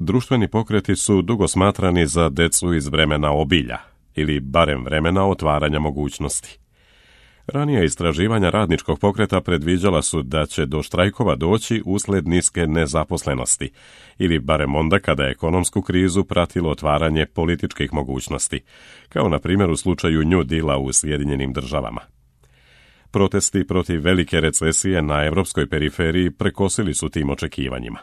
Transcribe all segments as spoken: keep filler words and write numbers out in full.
Društveni pokreti su dugo smatrani za decu iz vremena obilja, ili barem vremena otvaranja mogućnosti. Ranija istraživanja radničkog pokreta predviđala su da će do štrajkova doći usled niske nezaposlenosti, ili barem onda kada je ekonomsku krizu pratilo otvaranje političkih mogućnosti, kao na primjer u slučaju New Deala u Sjedinjenim državama. Protesti protiv velike recesije na evropskoj periferiji prekosili su tim očekivanjima.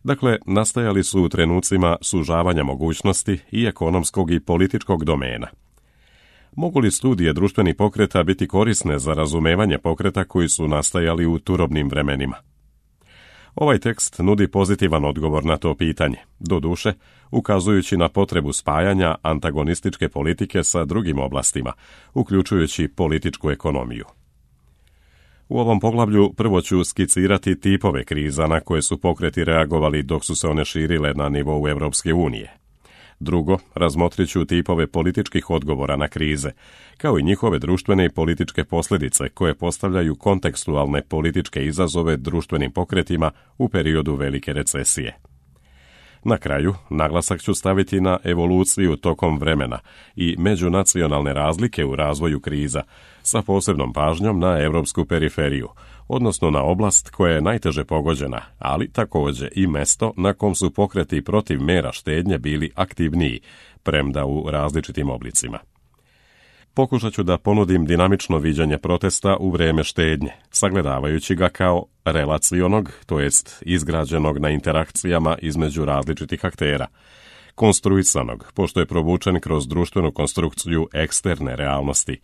Dakle, nastajali su u trenucima sužavanja mogućnosti i ekonomskog i političkog domena. Mogu li studije društvenih pokreta biti korisne za razumevanje pokreta koji su nastajali u turobnim vremenima? Ovaj tekst nudi pozitivan odgovor na to pitanje, doduše ukazujući na potrebu spajanja antagonističke politike sa drugim oblastima, uključujući političku ekonomiju. U ovom poglavlju prvo ću skicirati tipove kriza na koje su pokreti reagovali dok su se one širile na nivou Evropske unije. Drugo, razmotrit ću tipove političkih odgovora na krize, kao i njihove društvene i političke posljedice koje postavljaju kontekstualne političke izazove društvenim pokretima u periodu velike recesije. Na kraju, naglasak ću staviti na evoluciju tokom vremena i međunacionalne razlike u razvoju kriza, sa posebnom pažnjom na evropsku periferiju, odnosno na oblast koja je najteže pogođena, ali također i mesto na kom su pokreti protiv mera štednje bili aktivniji, premda u različitim oblicima. Pokušat ću da ponudim dinamično viđanje protesta u vrijeme štednje, sagledavajući ga kao relacionog, to jest izgrađenog na interakcijama između različitih aktera, konstruisanog, pošto je provučen kroz društvenu konstrukciju eksterne realnosti,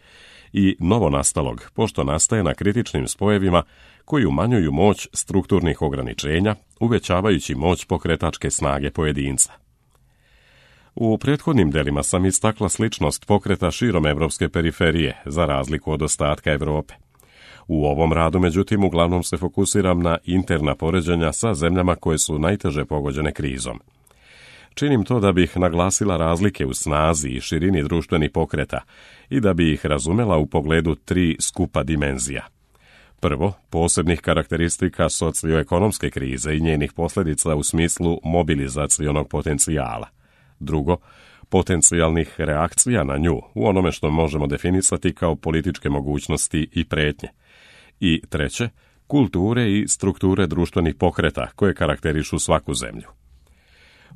i novonastalog, pošto nastaje na kritičnim spojevima koji umanjuju moć strukturnih ograničenja, uvećavajući moć pokretačke snage pojedinca. U prethodnim delima sam istakla sličnost pokreta širom evropske periferije, za razliku od ostatka Europe. U ovom radu, međutim, uglavnom se fokusiram na interna poređenja sa zemljama koje su najteže pogođene krizom. Činim to da bih naglasila razlike u snazi i širini društvenih pokreta i da bi ih razumela u pogledu tri skupa dimenzija. Prvo, posebnih karakteristika socioekonomske krize i njenih posljedica u smislu mobilizacionog potencijala. Drugo, potencijalnih reakcija na nju u onome što možemo definisati kao političke mogućnosti i prijetnje. I treće, kulture i strukture društvenih pokreta koje karakterišu svaku zemlju.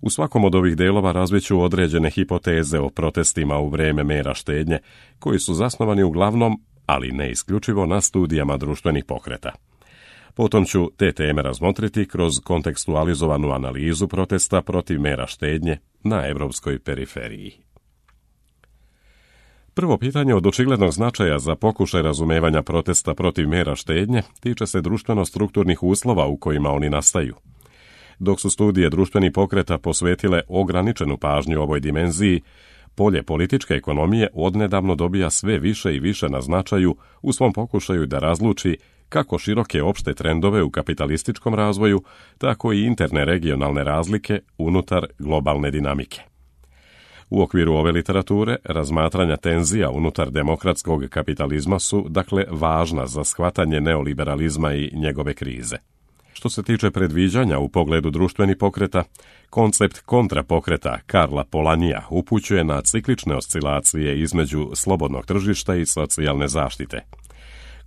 U svakom od ovih delova razviću određene hipoteze o protestima u vrijeme mera štednje, koji su zasnovani uglavnom, ali ne isključivo, na studijama društvenih pokreta. Potom ću te teme razmotriti kroz kontekstualizovanu analizu protesta protiv mera štednje na evropskoj periferiji. Prvo pitanje od očiglednog značaja za pokušaj razumevanja protesta protiv mera štednje tiče se društveno-strukturnih uslova u kojima oni nastaju. Dok su studije društvenih pokreta posvetile ograničenu pažnju ovoj dimenziji, polje političke ekonomije odnedavno dobija sve više i više na značaju u svom pokušaju da razluči kako široke opšte trendove u kapitalističkom razvoju, tako i interne regionalne razlike unutar globalne dinamike. U okviru ove literature, razmatranja tenzija unutar demokratskog kapitalizma su, dakle, važna za shvatanje neoliberalizma i njegove krize. Što se tiče predviđanja u pogledu društvenih pokreta, koncept kontrapokreta Karla Polanija upućuje na ciklične oscilacije između slobodnog tržišta i socijalne zaštite.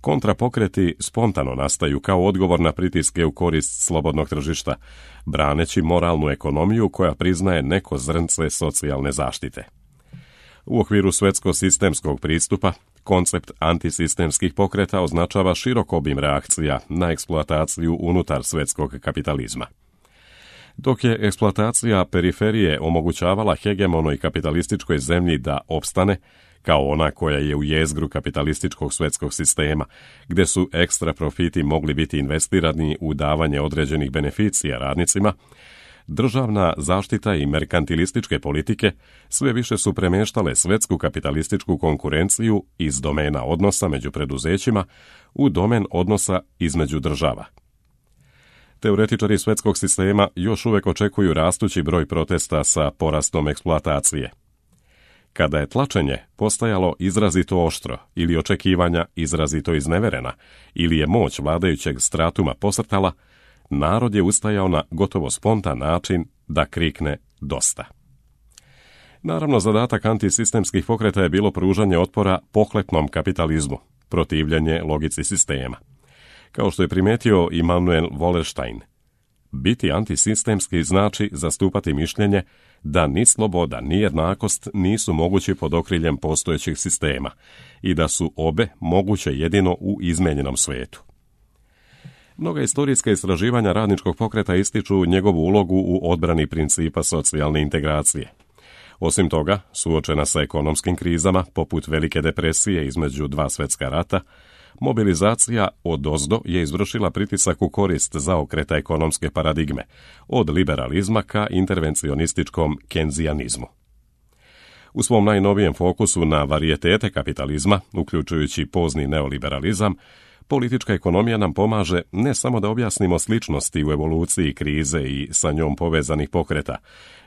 Kontrapokreti spontano nastaju kao odgovor na pritiske u korist slobodnog tržišta, braneći moralnu ekonomiju koja priznaje neko zrnce socijalne zaštite. U okviru svetsko-sistemskog pristupa, koncept antisistemskih pokreta označava širok obim reakcija na eksploataciju unutar svetskog kapitalizma. Dok je eksploatacija periferije omogućavala hegemonoj kapitalističkoj zemlji da opstane, kao ona koja je u jezgru kapitalističkog svetskog sistema, gdje su ekstra profiti mogli biti investirani u davanje određenih beneficija radnicima, državna zaštita i merkantilističke politike sve više su premještale svetsku kapitalističku konkurenciju iz domena odnosa među preduzećima u domen odnosa između država. Teoretičari svetskog sistema još uvijek očekuju rastući broj protesta sa porastom eksploatacije. Kada je tlačenje postajalo izrazito oštro ili očekivanja izrazito izneverena ili je moć vladajućeg stratuma posrtala, narod je ustajao na gotovo spontan način da krikne dosta. Naravno, zadatak antisistemskih pokreta je bilo pružanje otpora pohlepnom kapitalizmu, protivljenje logici sistema. Kao što je primijetio Immanuel Wallerstein, biti antisistemski znači zastupati mišljenje da ni sloboda ni jednakost nisu mogući pod okriljem postojećih sistema i da su obe moguće jedino u izmijenjenom svijetu. Mnoga istorijska istraživanja radničkog pokreta ističu njegovu ulogu u odbrani principa socijalne integracije. Osim toga, suočena sa ekonomskim krizama, poput Velike depresije između dva svjetska rata, mobilizacija odozdo je izvršila pritisak u korist zaokreta ekonomske paradigme, od liberalizma ka intervencionističkom kenzijanizmu. U svom najnovijem fokusu na varijetete kapitalizma, uključujući pozni neoliberalizam, politička ekonomija nam pomaže ne samo da objasnimo sličnosti u evoluciji krize i sa njom povezanih pokreta,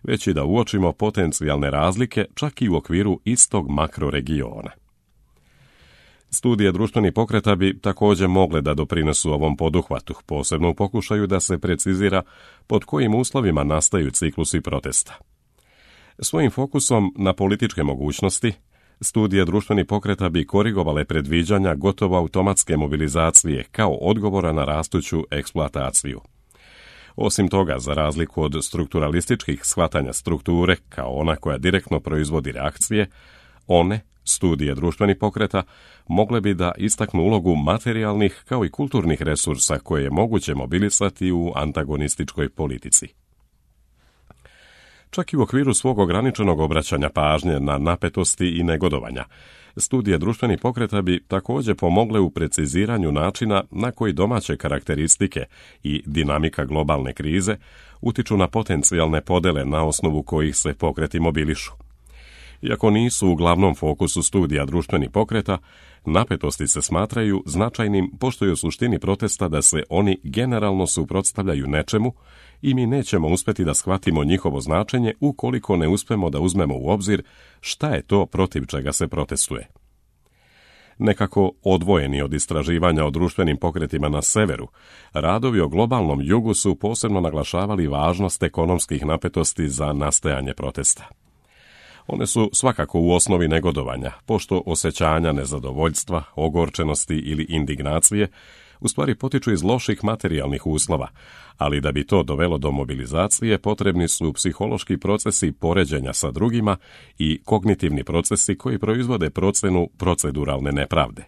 već i da uočimo potencijalne razlike čak i u okviru istog makroregiona. Studije društvenih pokreta bi također mogle da doprinesu ovom poduhvatu, posebno u pokušaju da se precizira pod kojim uslovima nastaju ciklusi protesta. Svojim fokusom na političke mogućnosti, studije društvenih pokreta bi korigovale predviđanja gotovo automatske mobilizacije kao odgovora na rastuću eksploataciju. Osim toga, za razliku od strukturalističkih shvatanja strukture kao ona koja direktno proizvodi reakcije, one, studije društvenih pokreta, mogle bi da istaknu ulogu materijalnih kao i kulturnih resursa koje je moguće mobilisati u antagonističkoj politici. Čak i u okviru svog ograničenog obraćanja pažnje na napetosti i negodovanja, studije društvenih pokreta bi također pomogle u preciziranju načina na koji domaće karakteristike i dinamika globalne krize utiču na potencijalne podele na osnovu kojih se pokreti mobilišu. Iako nisu u glavnom fokusu studija društvenih pokreta, napetosti se smatraju značajnim pošto je u suštini protesta da se oni generalno suprotstavljaju nečemu i mi nećemo uspjeti da shvatimo njihovo značenje ukoliko ne uspemo da uzmemo u obzir šta je to protiv čega se protestuje. Nekako odvojeni od istraživanja o društvenim pokretima na severu, radovi o globalnom jugu su posebno naglašavali važnost ekonomskih napetosti za nastajanje protesta. One su svakako u osnovi negodovanja, pošto osjećanja nezadovoljstva, ogorčenosti ili indignacije u stvari potiču iz loših materijalnih uslova, ali da bi to dovelo do mobilizacije potrebni su psihološki procesi poređenja sa drugima i kognitivni procesi koji proizvode procenu proceduralne nepravde.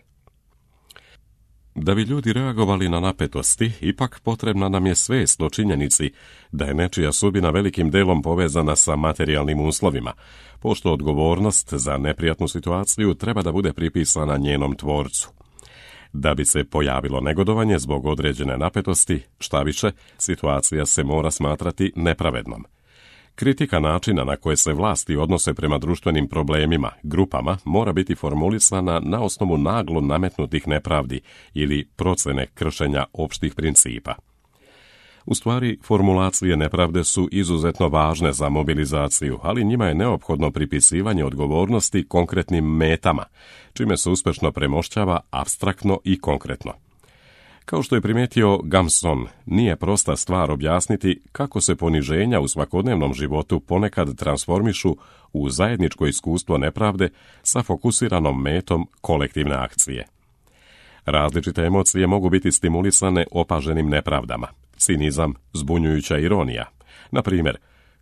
Da bi ljudi reagovali na napetosti, ipak potrebna nam je svest o činjenici da je nečija sudbina velikim delom povezana sa materijalnim uslovima, pošto odgovornost za neprijatnu situaciju treba da bude pripisana njenom tvorcu. Da bi se pojavilo negodovanje zbog određene napetosti, štaviše, situacija se mora smatrati nepravednom. Kritika načina na koje se vlasti odnose prema društvenim problemima, grupama, mora biti formulisana na osnovu naglo nametnutih nepravdi ili procene kršenja opštih principa. U stvari, formulacije nepravde su izuzetno važne za mobilizaciju, ali njima je neophodno pripisivanje odgovornosti konkretnim metama, čime se uspešno premošćava apstraktno i konkretno. Kao što je primijetio Gamson, nije prosta stvar objasniti kako se poniženja u svakodnevnom životu ponekad transformišu u zajedničko iskustvo nepravde sa fokusiranom metom kolektivne akcije. Različite emocije mogu biti stimulisane opaženim nepravdama. Cinizam, zbunjujuća ironija. Na primjer,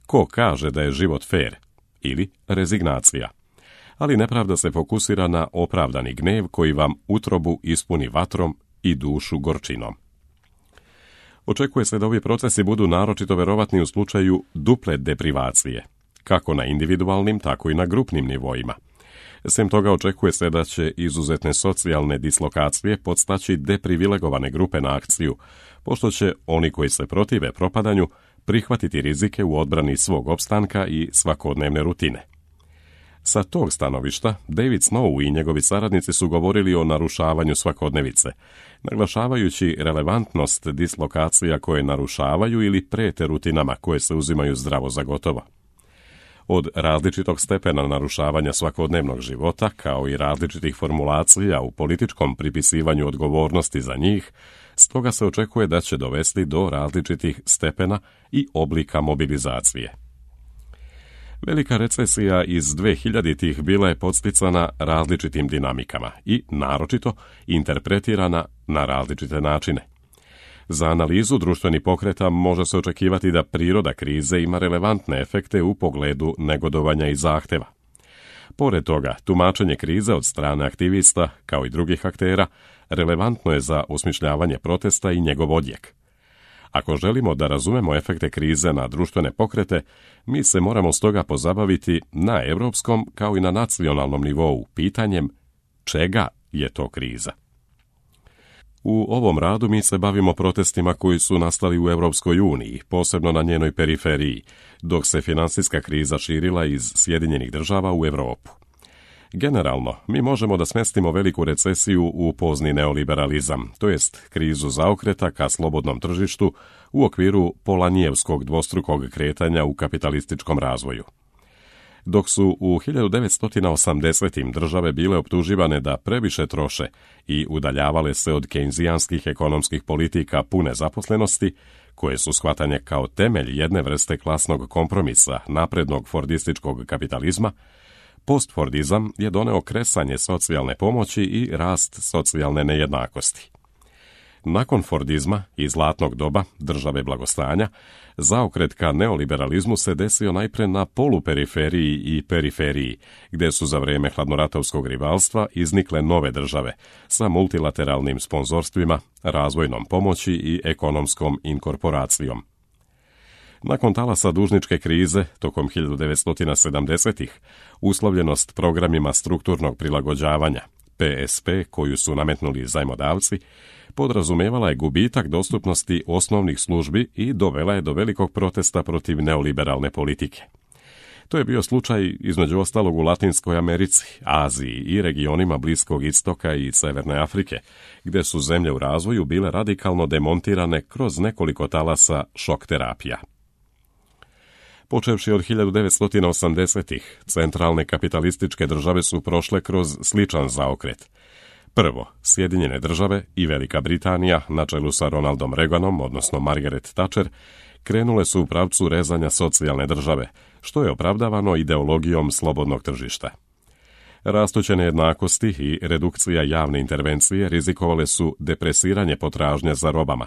ko kaže da je život fer? Ili rezignacija. Ali nepravda se fokusira na opravdani gnev koji vam utrobu ispuni vatrom i dušu gorčinom. Očekuje se da ovi procesi budu naročito verovatni u slučaju duple deprivacije, kako na individualnim, tako i na grupnim nivoima. Sem toga očekuje se da će izuzetne socijalne dislokacije podstaći deprivilegovane grupe na akciju, pošto će oni koji se protive propadanju prihvatiti rizike u odbrani svog opstanka i svakodnevne rutine. Sa tog stanovišta, David Snow i njegovi saradnici su govorili o narušavanju svakodnevice, naglašavajući relevantnost dislokacija koje narušavaju ili prete rutinama koje se uzimaju zdravo za gotovo. Od različitog stepena narušavanja svakodnevnog života, kao i različitih formulacija u političkom pripisivanju odgovornosti za njih, stoga se očekuje da će dovesti do različitih stepena i oblika mobilizacije. Velika recesija iz dvehiljaditih bila je podsticana različitim dinamikama i, naročito, interpretirana na različite načine. Za analizu društvenih pokreta može se očekivati da priroda krize ima relevantne efekte u pogledu negodovanja i zahteva. Pored toga, tumačenje krize od strane aktivista, kao i drugih aktera, relevantno je za osmišljavanje protesta i njegov odjek. Ako želimo da razumemo efekte krize na društvene pokrete, mi se moramo stoga pozabaviti na europskom kao i na nacionalnom nivou pitanjem čega je to kriza. U ovom radu mi se bavimo protestima koji su nastali u Europskoj uniji, posebno na njenoj periferiji, dok se finansijska kriza širila iz Sjedinjenih država u Europu. Generalno, mi možemo da smestimo veliku recesiju u pozni neoliberalizam, to jest krizu zaokreta ka slobodnom tržištu u okviru Polanijevskog dvostrukog kretanja u kapitalističkom razvoju. Dok su u hiljadu devetsto osamdesetim države bile optuživane da previše troše i udaljavale se od kejnzijanskih ekonomskih politika pune zaposlenosti, koje su shvatanje kao temelj jedne vrste klasnog kompromisa naprednog fordističkog kapitalizma, postfordizam je doneo kresanje socijalne pomoći i rast socijalne nejednakosti. Nakon Fordizma i zlatnog doba države blagostanja, zaokret ka neoliberalizmu se desio najpre na poluperiferiji i periferiji, gdje su za vrijeme hladnoratovskog rivalstva iznikle nove države sa multilateralnim sponzorstvima, razvojnom pomoći i ekonomskom inkorporacijom. Nakon talasa dužničke krize, tokom hiljadu devetsto sedamdesetih, uslovljenost programima strukturnog prilagođavanja, P S P, koju su nametnuli zajmodavci, podrazumevala je gubitak dostupnosti osnovnih službi i dovela je do velikog protesta protiv neoliberalne politike. To je bio slučaj između ostalog u Latinskoj Americi, Aziji i regionima Bliskog istoka i Severne Afrike, gdje su zemlje u razvoju bile radikalno demontirane kroz nekoliko talasa šok terapija. Počevši od hiljadu devetsto osamdesetih, centralne kapitalističke države su prošle kroz sličan zaokret. Prvo, Sjedinjene države i Velika Britanija, na čelu sa Ronaldom Reaganom, odnosno Margaret Thatcher, krenule su u pravcu rezanja socijalne države, što je opravdavano ideologijom slobodnog tržišta. Rastuće nejednakosti i redukcija javne intervencije rizikovale su depresiranje potražnje za robama,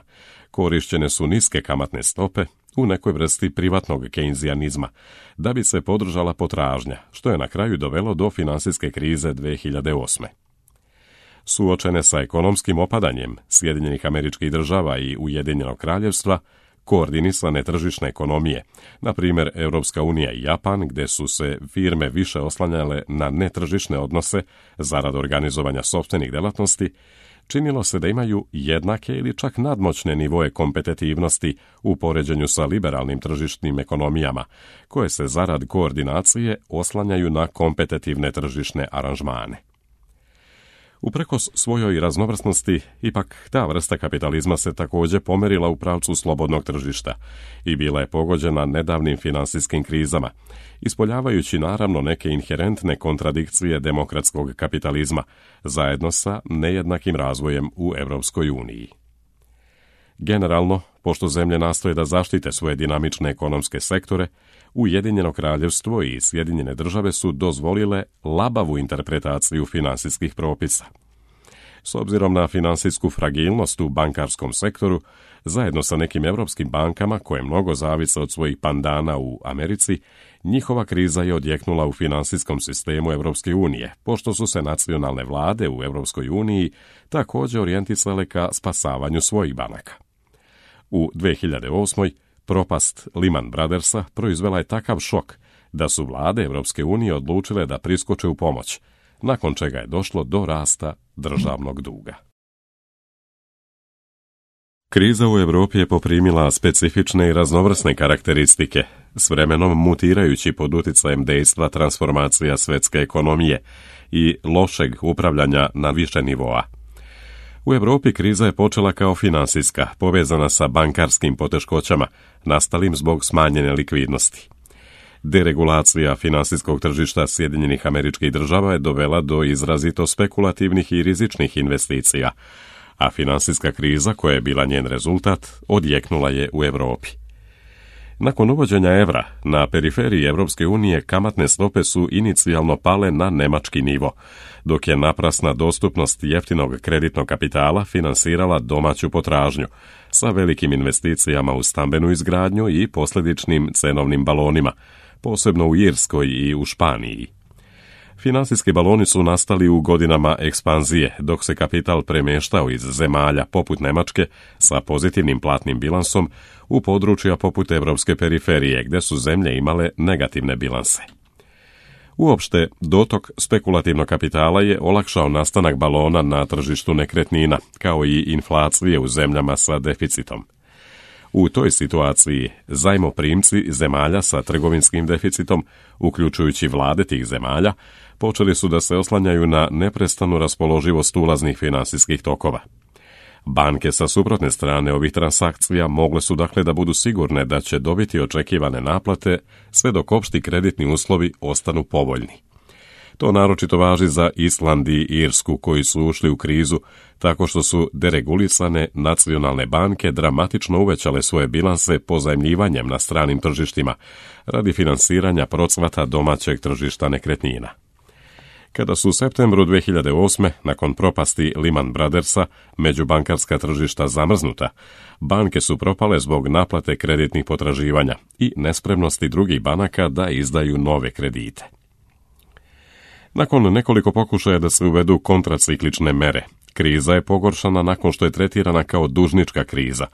korišćene su niske kamatne stope u nekoj vrsti privatnog kejnzijanizma, da bi se podržala potražnja, što je na kraju dovelo do finansijske krize dve hiljade osme. Suočene sa ekonomskim opadanjem Sjedinjenih Američkih Država i Ujedinjenog Kraljevstva, koordinisane tržišne ekonomije, na primjer Europska unija i Japan, gdje su se firme više oslanjale na netržišne odnose zarad organizovanja sopstvenih delatnosti, činilo se da imaju jednake ili čak nadmoćne nivoe kompetitivnosti u poređenju sa liberalnim tržišnim ekonomijama, koje se zarad koordinacije oslanjaju na kompetitivne tržišne aranžmane. Uprkos svojoj raznovrsnosti, ipak ta vrsta kapitalizma se također pomerila u pravcu slobodnog tržišta i bila je pogođena nedavnim finansijskim krizama, ispoljavajući naravno neke inherentne kontradikcije demokratskog kapitalizma, zajedno sa nejednakim razvojem u Europskoj uniji. Generalno, pošto zemlje nastoje da zaštite svoje dinamične ekonomske sektore, Ujedinjeno Kraljevstvo i Sjedinjene države su dozvolile labavu interpretaciju finansijskih propisa. S obzirom na finansijsku fragilnost u bankarskom sektoru, zajedno sa nekim europskim bankama koje mnogo zavise od svojih pandana u Americi, njihova kriza je odjeknula u finansijskom sistemu Europske unije, pošto su se nacionalne vlade u Europskoj uniji također orijentisale ka spasavanju svojih banaka. U dve hiljade osmoj propast Lehman Brothersa proizvela je takav šok da su vlade Europske unije odlučile da priskoče u pomoć, nakon čega je došlo do rasta državnog duga. Kriza u Europi je poprimila specifične i raznovrsne karakteristike, s vremenom mutirajući pod utjecajem dejstva transformacija svjetske ekonomije i lošeg upravljanja na više nivoa. U Europi kriza je počela kao finansijska, povezana sa bankarskim poteškoćama, nastalim zbog smanjene likvidnosti. Deregulacija finansijskog tržišta Sjedinjenih Američkih Država je dovela do izrazito spekulativnih i rizičnih investicija, a finansijska kriza, koja je bila njen rezultat, odjeknula je u Europi. Nakon uvođenja evra, na periferiji Europske unije kamatne stope su inicijalno pale na nemački nivo, dok je naprasna dostupnost jeftinog kreditnog kapitala finansirala domaću potražnju, sa velikim investicijama u stambenu izgradnju i posljedičnim cenovnim balonima, posebno u Irskoj i u Španiji. Finansijski baloni su nastali u godinama ekspanzije, dok se kapital premještao iz zemalja poput Njemačke sa pozitivnim platnim bilansom u područja poput europske periferije, gdje su zemlje imale negativne bilanse. Uopšte, dotok spekulativnog kapitala je olakšao nastanak balona na tržištu nekretnina, kao i inflacije u zemljama sa deficitom. U toj situaciji zajmoprimci zemalja sa trgovinskim deficitom, uključujući vlade tih zemalja, počeli su da se oslanjaju na neprestanu raspoloživost ulaznih finansijskih tokova. Banke sa suprotne strane ovih transakcija mogle su dakle da budu sigurne da će dobiti očekivane naplate sve dok opšti kreditni uslovi ostanu povoljni. To naročito važi za Island i Irsku, koji su ušli u krizu tako što su deregulisane nacionalne banke dramatično uvećale svoje bilanse pozajmljivanjem na stranim tržištima radi finansiranja procvata domaćeg tržišta nekretnina. Kada su u septembru dve hiljade osme, nakon propasti Lehman Brothersa, međubankarska tržišta zamrznuta, banke su propale zbog naplate kreditnih potraživanja i nespremnosti drugih banaka da izdaju nove kredite. Nakon nekoliko pokušaja da se uvedu kontraciklične mere, kriza je pogoršana nakon što je tretirana kao dužnička kriza,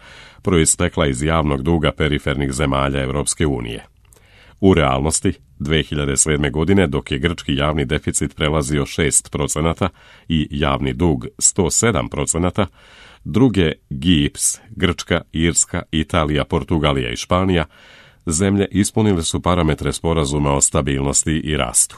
proistekla iz javnog duga perifernih zemalja Europske unije. U realnosti, dve hiljade sedme. godine, dok je grčki javni deficit prelazio šest procenata i javni dug sto sedam procenata, druge G I P S, Grčka, Irska, Italija, Portugalija i Španija, zemlje ispunile su parametre sporazuma o stabilnosti i rastu.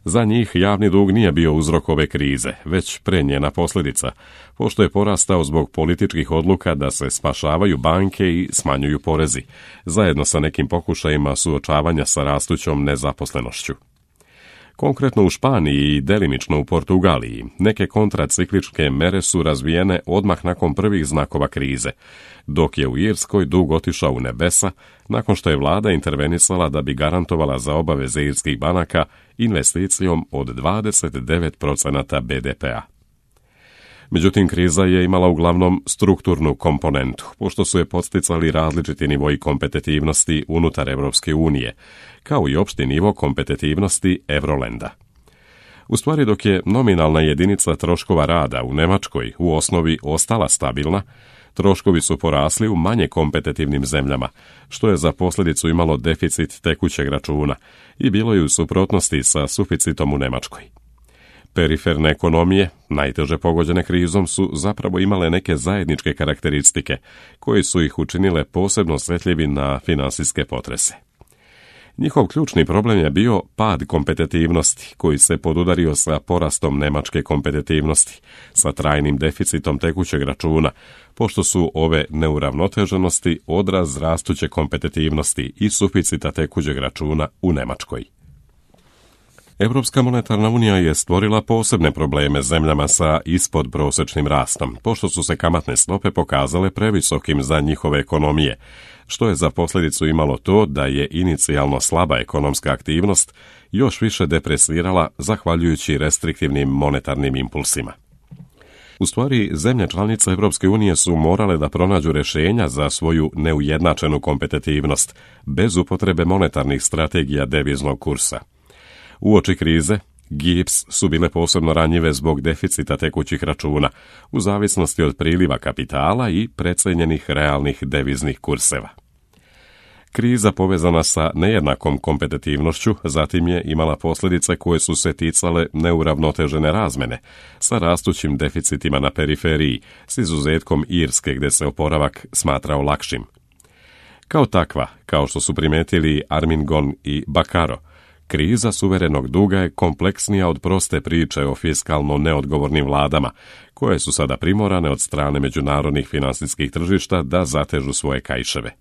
Za njih javni dug nije bio uzrok ove krize, već pre njena posljedica, pošto je porastao zbog političkih odluka da se spašavaju banke i smanjuju porezi, zajedno sa nekim pokušajima suočavanja sa rastućom nezaposlenošću. Konkretno u Španiji i delimično u Portugaliji, neke kontracikličke mere su razvijene odmah nakon prvih znakova krize, dok je u Irskoj dug otišao u nebesa nakon što je vlada intervenisala da bi garantovala za obaveze irskih banaka investicijom od dvadeset devet procenata B D P-a. Međutim, kriza je imala uglavnom strukturnu komponentu, pošto su je podsticali različiti nivoji kompetitivnosti unutar Europske unije, kao i opšti nivo kompetitivnosti Eurolenda. U stvari, dok je nominalna jedinica troškova rada u Njemačkoj u osnovi ostala stabilna, troškovi su porasli u manje kompetitivnim zemljama, što je za posljedicu imalo deficit tekućeg računa i bilo je u suprotnosti sa suficitom u Njemačkoj. Periferne ekonomije, najteže pogođene krizom, su zapravo imale neke zajedničke karakteristike, koje su ih učinile posebno osjetljivi na finansijske potrese. Njihov ključni problem je bio pad kompetitivnosti, koji se podudario sa porastom nemačke kompetitivnosti, sa trajnim deficitom tekućeg računa, pošto su ove neuravnoteženosti odraz rastuće kompetitivnosti i suficita tekućeg računa u Njemačkoj. Europska monetarna unija je stvorila posebne probleme zemljama sa ispodprosječnim rastom, pošto su se kamatne stope pokazale previsokim za njihove ekonomije, što je za posljedicu imalo to da je inicijalno slaba ekonomska aktivnost još više depresirala zahvaljujući restriktivnim monetarnim impulsima. U stvari, zemlje članice Europske unije su morale da pronađu rješenja za svoju neujednačenu kompetitivnost, bez upotrebe monetarnih strategija deviznog kursa. Uoči krize, G I P S su bile posebno ranjive zbog deficita tekućih računa, u zavisnosti od priliva kapitala i precijenjenih realnih deviznih kurseva. Kriza povezana sa nejednakom kompetitivnošću zatim je imala posljedice koje su se ticale neuravnotežene razmene, sa rastućim deficitima na periferiji, s izuzetkom Irske gdje se oporavak smatrao lakšim. Kao takva, kao što su primetili Armingon i Bakaro, kriza suverenog duga je kompleksnija od proste priče o fiskalno neodgovornim vladama, koje su sada primorane od strane međunarodnih finansijskih tržišta da zatežu svoje kaiševe.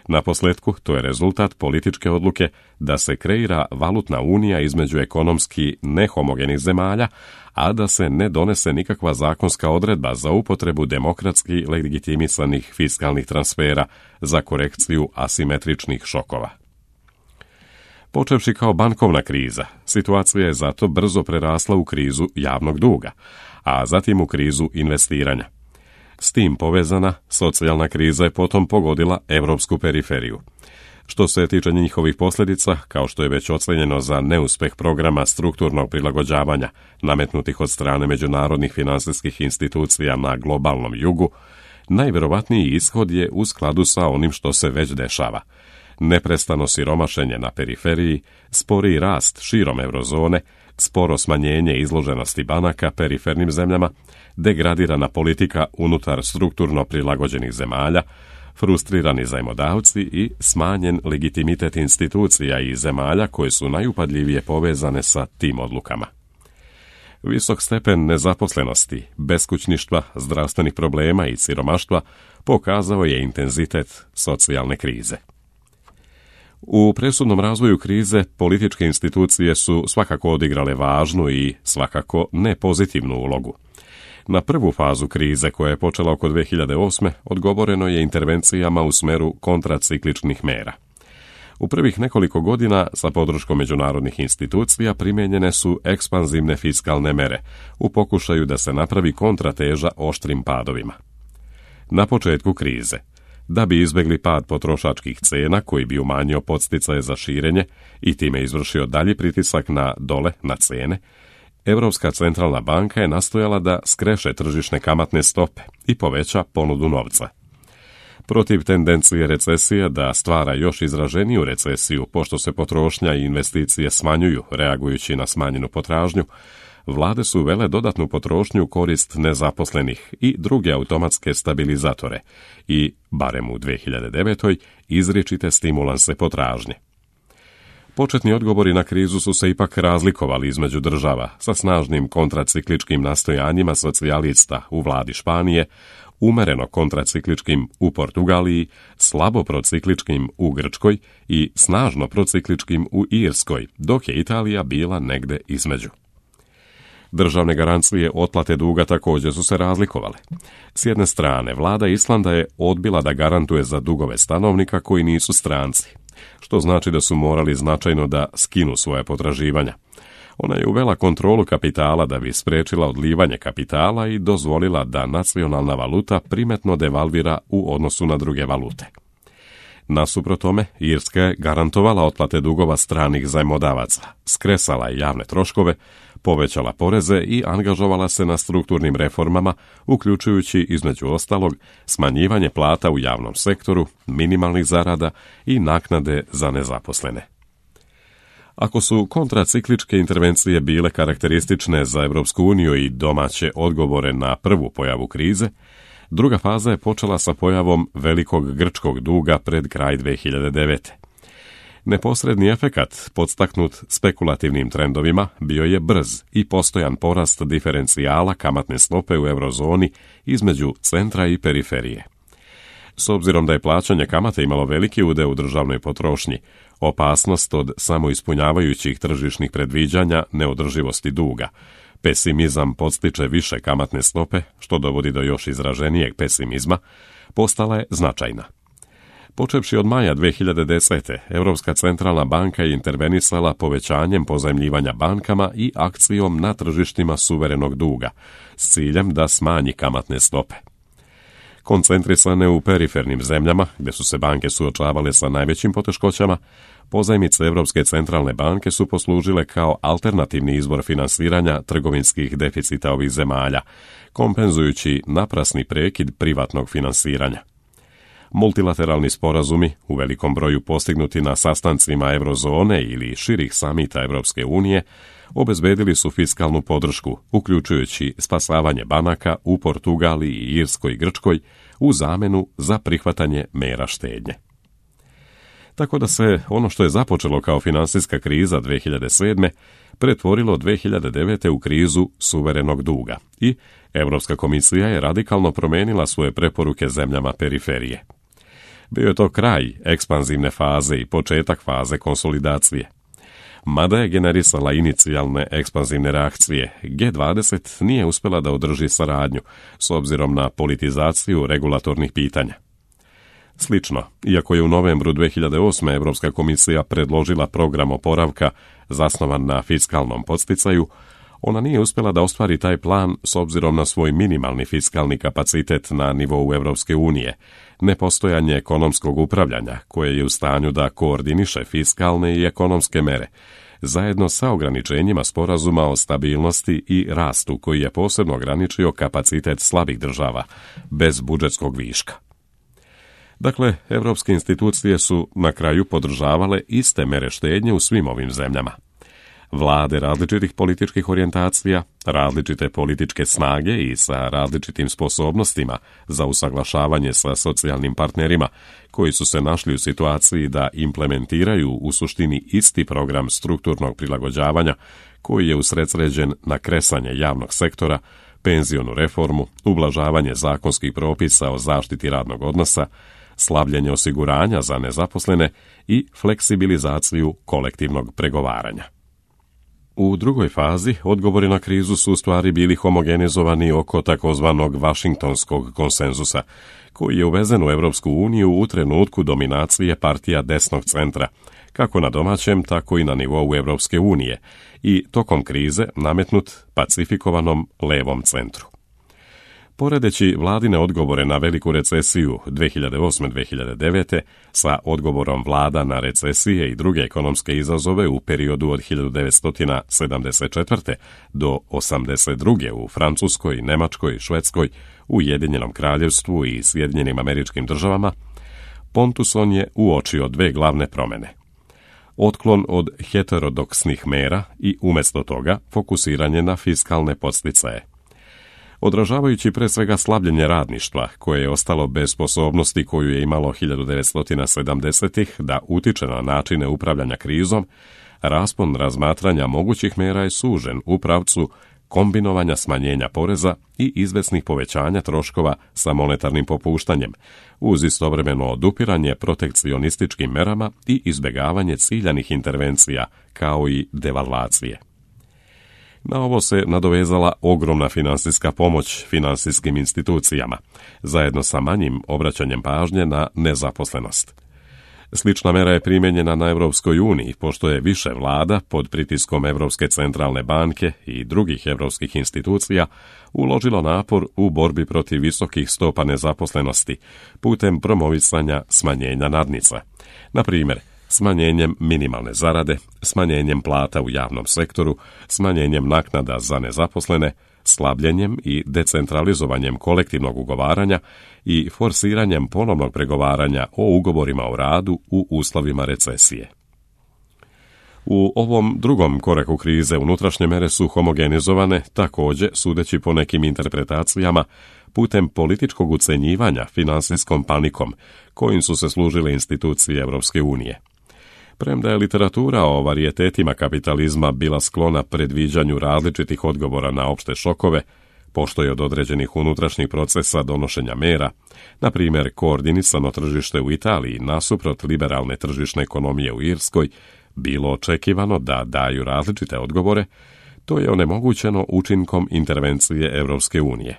Na posljetku, to je rezultat političke odluke da se kreira valutna unija između ekonomski nehomogenih zemalja, a da se ne donese nikakva zakonska odredba za upotrebu demokratski legitimisanih fiskalnih transfera za korekciju asimetričnih šokova. Počevši kao bankovna kriza, situacija je zato brzo prerasla u krizu javnog duga, a zatim u krizu investiranja. S tim povezana, socijalna kriza je potom pogodila europsku periferiju. Što se tiče njihovih posljedica, kao što je već ocenjeno za neuspjeh programa strukturnog prilagođavanja nametnutih od strane međunarodnih financijskih institucija na globalnom jugu, najvjerovatniji ishod je u skladu sa onim što se već dešava. Neprestano siromašenje na periferiji, sporiji rast širom eurozone, sporo smanjenje izloženosti banaka perifernim zemljama, degradirana politika unutar strukturno prilagođenih zemalja, frustrirani zajmodavci i smanjen legitimitet institucija i zemalja koje su najupadljivije povezane sa tim odlukama. Visok stepen nezaposlenosti, beskućništva, zdravstvenih problema i siromaštva pokazao je intenzitet socijalne krize. U presudnom razvoju krize političke institucije su svakako odigrale važnu i svakako ne pozitivnu ulogu. Na prvu fazu krize, koja je počela oko dvije hiljade osme. odgovoreno je intervencijama u smeru kontracikličnih mera. U prvih nekoliko godina sa podrškom međunarodnih institucija primijenjene su ekspanzivne fiskalne mere u pokušaju da se napravi kontrateža oštrim padovima. Na početku krize, da bi izbjegli pad potrošačkih cena koji bi umanjio podsticaje za širenje i time izvršio dalji pritisak na dole na cene, Europska centralna banka je nastojala da skreše tržišne kamatne stope i poveća ponudu novca. Protiv tendencije recesije da stvara još izraženiju recesiju, pošto se potrošnja i investicije smanjuju reagujući na smanjenu potražnju, vlade su uvele dodatnu potrošnju u korist nezaposlenih i druge automatske stabilizatore i, barem u dvije hiljade devete. izričite stimulanse potražnje. Početni odgovori na krizu su se ipak razlikovali između država sa snažnim kontracikličkim nastojanjima socijalista u vladi Španije, umereno kontracikličkim u Portugaliji, slabo procikličkim u Grčkoj i snažno procikličkim u Irskoj, dok je Italija bila negde između. Državne garancije otplate duga također su se razlikovale. S jedne strane, vlada Islanda je odbila da garantuje za dugove stanovnika koji nisu stranci, što znači da su morali značajno da skinu svoje potraživanja. Ona je uvela kontrolu kapitala da bi spriječila odlivanje kapitala i dozvolila da nacionalna valuta primetno devalvira u odnosu na druge valute. Nasuprot tome, Irska je garantovala otplate dugova stranih zajmodavaca, skresala je javne troškove, povećala poreze i angažovala se na strukturnim reformama, uključujući između ostalog smanjivanje plata u javnom sektoru, minimalnih zarada i naknade za nezaposlene. Ako su kontracikličke intervencije bile karakteristične za Europsku uniju i domaće odgovore na prvu pojavu krize, druga faza je počela sa pojavom velikog grčkog duga pred kraj dvije hiljade devete. Neposredni efekat, podstaknut spekulativnim trendovima, bio je brz i postojan porast diferencijala kamatne stope u eurozoni između centra i periferije. S obzirom da je plaćanje kamate imalo veliki udeo u državnoj potrošnji, opasnost od samoispunjavajućih tržišnih predviđanja neodrživosti duga, pesimizam podstiče više kamatne stope, što dovodi do još izraženijeg pesimizma, postala je značajna. Počevši od maja dvije hiljade desete. Europska centralna banka je intervenisala povećanjem pozajmljivanja bankama i akcijom na tržištima suverenog duga, s ciljem da smanji kamatne stope. Koncentrisane u perifernim zemljama, gdje su se banke suočavale sa najvećim poteškoćama, pozajmice Europske centralne banke su poslužile kao alternativni izvor finansiranja trgovinskih deficita ovih zemalja, kompenzujući naprasni prekid privatnog finansiranja. Multilateralni sporazumi, u velikom broju postignuti na sastancima eurozone ili širih samita Europske unije, obezbedili su fiskalnu podršku, uključujući spasavanje banaka u Portugaliji, Irskoj i Grčkoj u zamenu za prihvatanje mera štednje. Tako da se ono što je započelo kao finansijska kriza dvije hiljade sedme. pretvorilo dvije hiljade devete. u krizu suverenog duga i Europska komisija je radikalno promijenila svoje preporuke zemljama periferije. Bio je to kraj ekspanzivne faze i početak faze konsolidacije. Mada je generisala inicijalne ekspanzivne reakcije, G dvadeset nije uspjela da održi saradnju s obzirom na politizaciju regulatornih pitanja. Slično, iako je u novembru dvije hiljade osme. Europska komisija predložila program oporavka zasnovan na fiskalnom podsticaju, ona nije uspjela da ostvari taj plan s obzirom na svoj minimalni fiskalni kapacitet na nivou Europske unije, nepostojanje ekonomskog upravljanja koje je u stanju da koordiniše fiskalne i ekonomske mere, zajedno sa ograničenjima sporazuma o stabilnosti i rastu koji je posebno ograničio kapacitet slabih država bez budžetskog viška. Dakle, europske institucije su na kraju podržavale iste mere štednje u svim ovim zemljama. Vlade različitih političkih orijentacija, različite političke snage i sa različitim sposobnostima za usaglašavanje sa socijalnim partnerima koji su se našli u situaciji da implementiraju u suštini isti program strukturnog prilagođavanja koji je usredsređen na kresanje javnog sektora, penzionu reformu, ublažavanje zakonskih propisa o zaštiti radnog odnosa, slabljenje osiguranja za nezaposlene i fleksibilizaciju kolektivnog pregovaranja. U drugoj fazi odgovori na krizu su u stvari bili homogenizovani oko takozvanog Vašingtonskog konsenzusa, koji je uvezen u Europsku uniju u trenutku dominacije partija desnog centra, kako na domaćem, tako i na nivou Europske unije, i tokom krize nametnut pacifikovanom levom centru. Poredeći vladine odgovore na veliku recesiju dvije hiljade osme. dvije hiljade devete sa odgovorom vlada na recesije i druge ekonomske izazove u periodu od hiljadu devetsto sedamdeset četvrte. do osamdeset druge u Francuskoj, Nemačkoj, Švedskoj, Ujedinjenom kraljevstvu i Sjedinjenim Američkim Državama, Pontusson je uočio dve glavne promjene. Otklon od heterodoksnih mera i umjesto toga fokusiranje na fiskalne podsticaje. Odražavajući pre svega slabljenje radništva, koje je ostalo bez sposobnosti koju je imalo hiljadu devetsto sedamdesetih. da utiče na načine upravljanja krizom, raspon razmatranja mogućih mera je sužen u pravcu kombinovanja smanjenja poreza i izvesnih povećanja troškova sa monetarnim popuštanjem, uz istovremeno odupiranje protekcionističkim merama i izbjegavanje ciljanih intervencija, kao i devalvacije. Na ovo se nadovezala ogromna finansijska pomoć finansijskim institucijama, zajedno sa manjim obraćanjem pažnje na nezaposlenost. Slična mera je primijenjena na Europskoj uniji, pošto je više vlada pod pritiskom Europske centralne banke i drugih europskih institucija uložilo napor u borbi protiv visokih stopa nezaposlenosti putem promovisanja smanjenja nadnica. Na primjer, smanjenjem minimalne zarade, smanjenjem plata u javnom sektoru, smanjenjem naknada za nezaposlene, slabljenjem i decentralizovanjem kolektivnog ugovaranja i forsiranjem ponovnog pregovaranja o ugovorima o radu u uslovima recesije. U ovom drugom koraku krize unutrašnje mere su homogenizovane, također, sudeći po nekim interpretacijama, putem političkog ucenjivanja finansijskom panikom, kojim su se služile institucije Europske unije. Premda je literatura o varijetetima kapitalizma bila sklona predviđanju različitih odgovora na opšte šokove, pošto je od određenih unutrašnjih procesa donošenja mera, na primjer koordinisano tržište u Italiji nasuprot liberalne tržišne ekonomije u Irskoj, bilo očekivano da daju različite odgovore, to je onemogućeno učinkom intervencije Europske unije.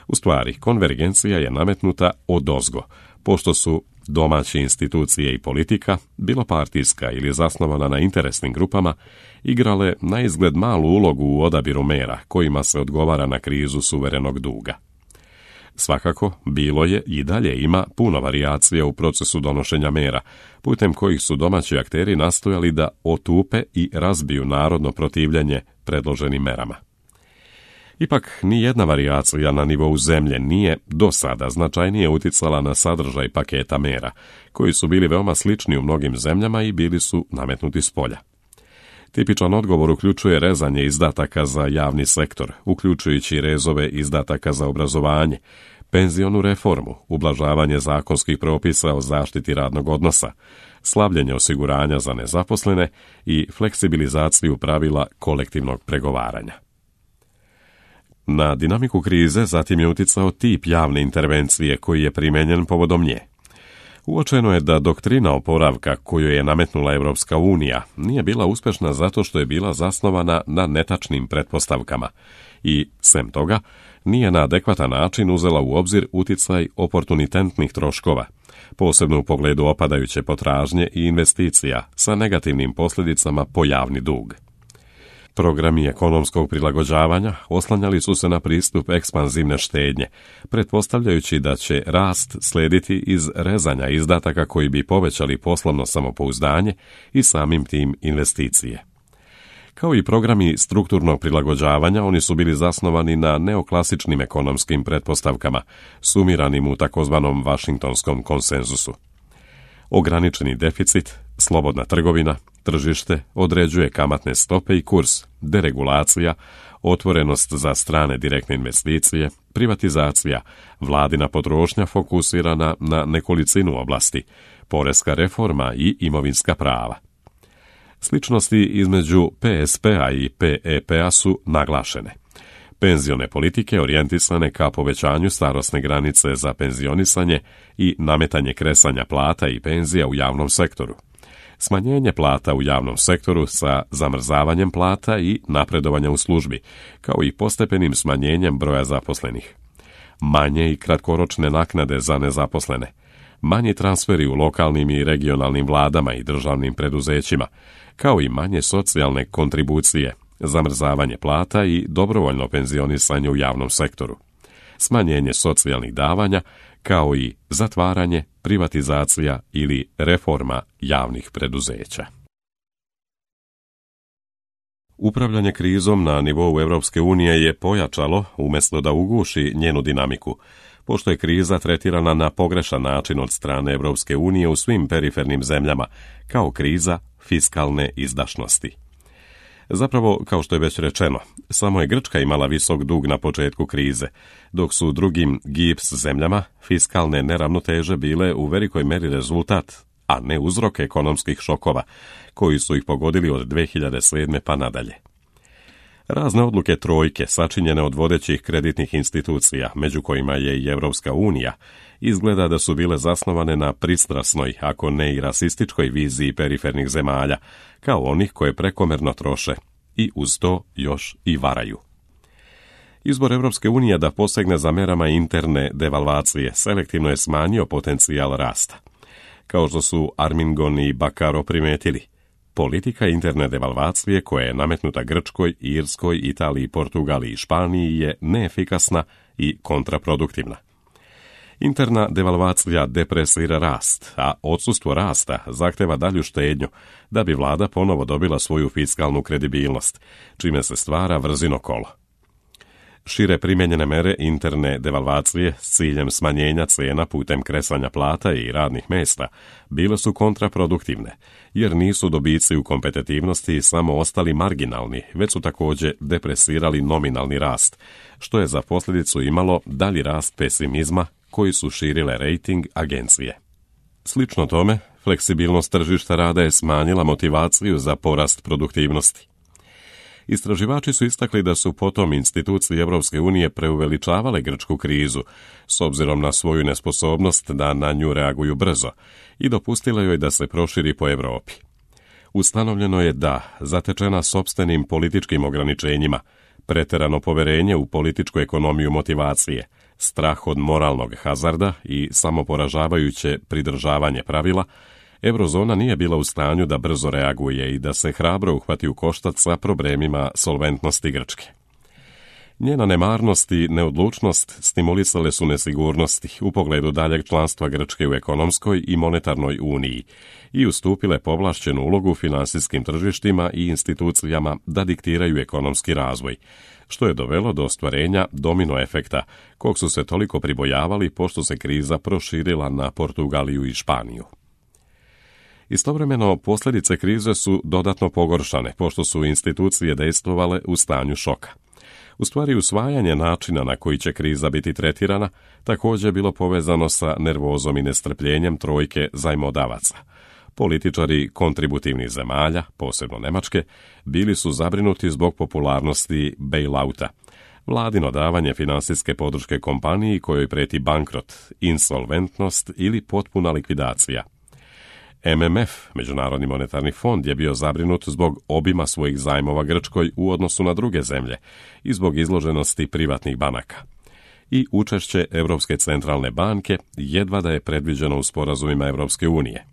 U stvari, konvergencija je nametnuta odozgo, pošto su domaće institucije i politika, bilo partijska ili zasnovana na interesnim grupama, igrale na izgled malu ulogu u odabiru mera kojima se odgovara na krizu suverenog duga. Svakako, bilo je i dalje ima puno varijacija u procesu donošenja mera, putem kojih su domaći akteri nastojali da otupe i razbiju narodno protivljenje predloženim merama. Ipak, ni jedna varijacija na nivou zemlje nije do sada značajnije uticala na sadržaj paketa mera, koji su bili veoma slični u mnogim zemljama i bili su nametnuti s polja. Tipičan odgovor uključuje rezanje izdataka za javni sektor, uključujući rezove izdataka za obrazovanje, penzionu reformu, ublažavanje zakonskih propisa o zaštiti radnog odnosa, slabljenje osiguranja za nezaposlene i fleksibilizaciju pravila kolektivnog pregovaranja. Na dinamiku krize zatim je uticao tip javne intervencije koji je primijenjen povodom nje. Uočeno je da doktrina oporavka koju je nametnula Europska unija nije bila uspješna zato što je bila zasnovana na netačnim pretpostavkama i, sem toga, nije na adekvatan način uzela u obzir uticaj oportunitentnih troškova, posebno u pogledu opadajuće potražnje i investicija sa negativnim posljedicama po javni dug. Programi ekonomskog prilagođavanja oslanjali su se na pristup ekspanzivne štednje, pretpostavljajući da će rast slediti iz rezanja izdataka koji bi povećali poslovno samopouzdanje i samim tim investicije. Kao i programi strukturnog prilagođavanja, oni su bili zasnovani na neoklasičnim ekonomskim pretpostavkama, sumiranim u takozvanom Vašingtonskom konsenzusu. Ograničeni deficit, slobodna trgovina, tržište određuje kamatne stope i kurs, deregulacija, otvorenost za strane direktne investicije, privatizacija, vladina potrošnja fokusirana na nekolicinu oblasti, poreska reforma i imovinska prava. Sličnosti između P S P-a i P E P-a su naglašene. Penzione politike orijentisane ka povećanju starosne granice za penzionisanje i nametanje kresanja plata i penzija u javnom sektoru. Smanjenje plata u javnom sektoru sa zamrzavanjem plata i napredovanja u službi, kao i postepenim smanjenjem broja zaposlenih. Manje i kratkoročne naknade za nezaposlene. Manji transferi u lokalnim i regionalnim vladama i državnim preduzećima, kao i manje socijalne kontribucije, zamrzavanje plata i dobrovoljno penzionisanje u javnom sektoru. Smanjenje socijalnih davanja, kao i zatvaranje, privatizacija ili reforma javnih preduzeća. Upravljanje krizom na nivou Europske unije je pojačalo umjesto da uguši njenu dinamiku, pošto je kriza tretirana na pogrešan način od strane Europske unije u svim perifernim zemljama, kao kriza fiskalne izdašnosti. Zapravo, kao što je već rečeno, samo je Grčka imala visok dug na početku krize, dok su drugim G I P S zemljama fiskalne neravnoteže bile u velikoj meri rezultat, a ne uzrok ekonomskih šokova, koji su ih pogodili od dve hiljade sedme pa nadalje. Razne odluke trojke, sačinjene od vodećih kreditnih institucija, među kojima je i Europska unija, izgleda da su bile zasnovane na pristrasnoj, ako ne i rasističkoj viziji perifernih zemalja, kao onih koje prekomerno troše i uz to još i varaju. Izbor Europske unije da posegne za merama interne devalvacije selektivno je smanjio potencijal rasta. Kao što su Armingon i Bakaro primetili, politika interne devalvacije koja je nametnuta Grčkoj, Irskoj, Italiji, Portugaliji i Španiji je neefikasna i kontraproduktivna. Interna devalvacija depresira rast, a odsustvo rasta zahteva dalju štednju da bi vlada ponovo dobila svoju fiskalnu kredibilnost, čime se stvara vrzino kolo. Šire primijenjene mere interne devalvacije s ciljem smanjenja cijena putem kresanja plata i radnih mjesta bile su kontraproduktivne, jer nisu dobici u kompetitivnosti samo ostali marginalni, već su također depresirali nominalni rast, što je za posljedicu imalo dalji rast pesimizma koji su širile rejting agencije. Slično tome, fleksibilnost tržišta rada je smanjila motivaciju za porast produktivnosti. Istraživači su istakli da su potom institucije Europske unije preuveličavale grčku krizu, s obzirom na svoju nesposobnost da na nju reaguju brzo, i dopustile joj da se proširi po Europi. Ustanovljeno je da, zatečena sopstvenim političkim ograničenjima, pretjerano poverenje u političku ekonomiju motivacije, strah od moralnog hazarda i samoporažavajuće pridržavanje pravila, Eurozona nije bila u stanju da brzo reaguje i da se hrabro uhvati u koštac sa problemima solventnosti Grčke. Njena nemarnost i neodlučnost stimulisale su nesigurnosti u pogledu daljeg članstva Grčke u ekonomskoj i monetarnoj uniji i ustupile povlašćenu ulogu finansijskim tržištima i institucijama da diktiraju ekonomski razvoj, što je dovelo do ostvarenja domino efekta, kog su se toliko pribojavali pošto se kriza proširila na Portugaliju i Španiju. Istovremeno, posljedice krize su dodatno pogoršane, pošto su institucije dejstvovale u stanju šoka. U stvari, usvajanje načina na koji će kriza biti tretirana također je bilo povezano sa nervozom i nestrpljenjem trojke zajmodavaca. Političari kontributivnih zemalja, posebno Njemačke, bili su zabrinuti zbog popularnosti bailouta, vladino davanje finansijske podrške kompaniji kojoj prijeti bankrot, insolventnost ili potpuna likvidacija. M M F, Međunarodni monetarni fond, je bio zabrinut zbog obima svojih zajmova Grčkoj u odnosu na druge zemlje i zbog izloženosti privatnih banaka. I učešće Europske centralne banke jedva da je predviđeno u sporazumima Europske unije.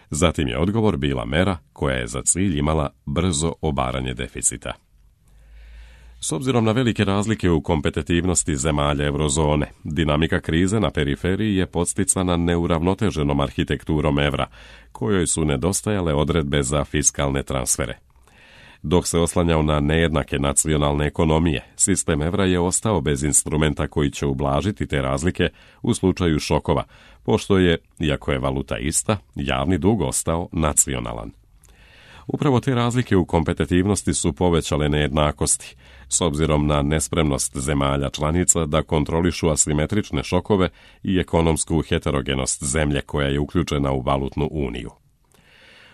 Zatim je odgovor bila mera koja je za cilj imala brzo obaranje deficita. S obzirom na velike razlike u kompetitivnosti zemalja eurozone, dinamika krize na periferiji je podsticana neuravnoteženom arhitekturom evra, kojoj su nedostajale odredbe za fiskalne transfere. Dok se oslanjao na nejednake nacionalne ekonomije, sistem evra je ostao bez instrumenta koji će ublažiti te razlike u slučaju šokova, pošto je, iako je valuta ista, javni dug ostao nacionalan. Upravo te razlike u kompetitivnosti su povećale nejednakosti, s obzirom na nespremnost zemalja članica da kontrolišu asimetrične šokove i ekonomsku heterogenost zemlje koja je uključena u valutnu uniju.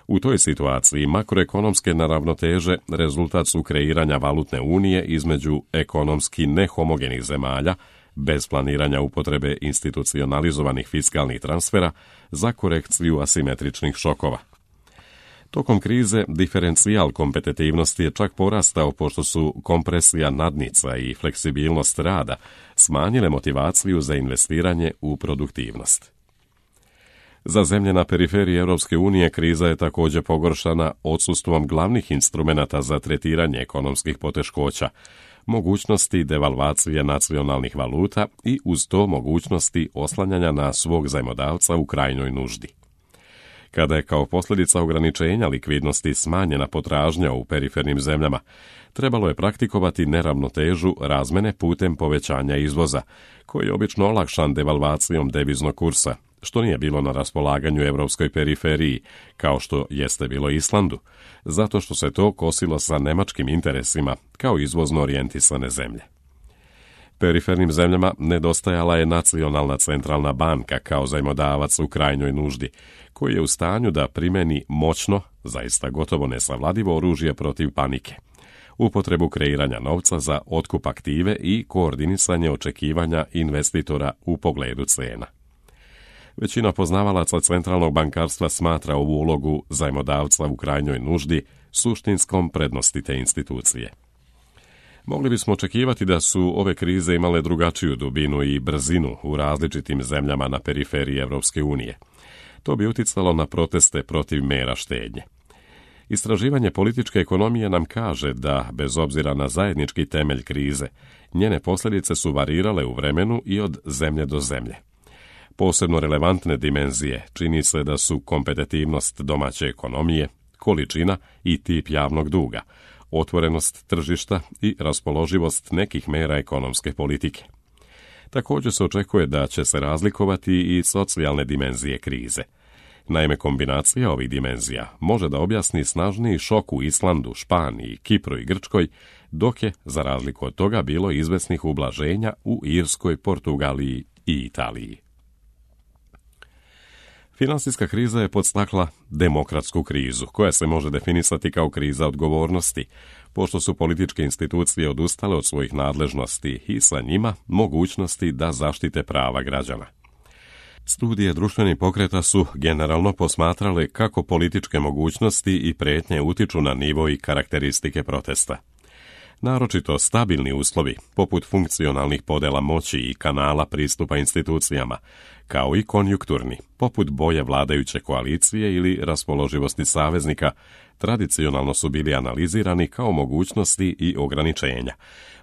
U toj situaciji makroekonomske neravnoteže rezultat su kreiranja valutne unije između ekonomski nehomogenih zemalja, bez planiranja upotrebe institucionalizovanih fiskalnih transfera za korekciju asimetričnih šokova. Tokom krize diferencijal kompetitivnosti je čak porastao pošto su kompresija nadnica i fleksibilnost rada smanjile motivaciju za investiranje u produktivnost. Za zemlje na periferiji Europske unije kriza je također pogoršana odsustvom glavnih instrumenata za tretiranje ekonomskih poteškoća, mogućnosti devalvacije nacionalnih valuta i uz to mogućnosti oslanjanja na svog zajmodavca u krajnjoj nuždi. Kada je kao posljedica ograničenja likvidnosti smanjena potražnja u perifernim zemljama, trebalo je praktikovati neravnotežu razmene putem povećanja izvoza, koji je obično olakšan devalvacijom deviznog kursa, što nije bilo na raspolaganju europskoj periferiji, kao što jeste bilo Islandu, zato što se to kosilo sa nemačkim interesima kao izvozno orijentisane zemlje. Perifernim zemljama nedostajala je nacionalna centralna banka kao zajmodavac u krajnjoj nuždi, koji je u stanju da primeni moćno, zaista gotovo nesavladivo oružje protiv panike, upotrebu kreiranja novca za otkup aktive i koordinisanje očekivanja investitora u pogledu cena. Većina poznavalaca centralnog bankarstva smatra ovu ulogu zajmodavca u krajnjoj nuždi suštinskom prednosti te institucije. Mogli bismo očekivati da su ove krize imale drugačiju dubinu i brzinu u različitim zemljama na periferiji Europske unije. To bi uticalo na proteste protiv mera štednje. Istraživanje političke ekonomije nam kaže da, bez obzira na zajednički temelj krize, njene posljedice su varirale u vremenu i od zemlje do zemlje. Posebno relevantne dimenzije čini se da su kompetitivnost domaće ekonomije, količina i tip javnog duga, otvorenost tržišta i raspoloživost nekih mera ekonomske politike. Također se očekuje da će se razlikovati i socijalne dimenzije krize. Naime, kombinacija ovih dimenzija može da objasni snažniji šok u Islandu, Španiji, Kipru i Grčkoj, dok je, za razliku od toga, bilo izvesnih ublaženja u Irskoj, Portugaliji i Italiji. Finansijska kriza je podstakla demokratsku krizu, koja se može definisati kao kriza odgovornosti, pošto su političke institucije odustale od svojih nadležnosti i sa njima mogućnosti da zaštite prava građana. Studije društvenih pokreta su generalno posmatrale kako političke mogućnosti i prijetnje utiču na nivo i karakteristike protesta. Naročito stabilni uslovi, poput funkcionalnih podela moći i kanala pristupa institucijama, kao i konjunkturni, poput boje vladajuće koalicije ili raspoloživosti saveznika, tradicionalno su bili analizirani kao mogućnosti i ograničenja,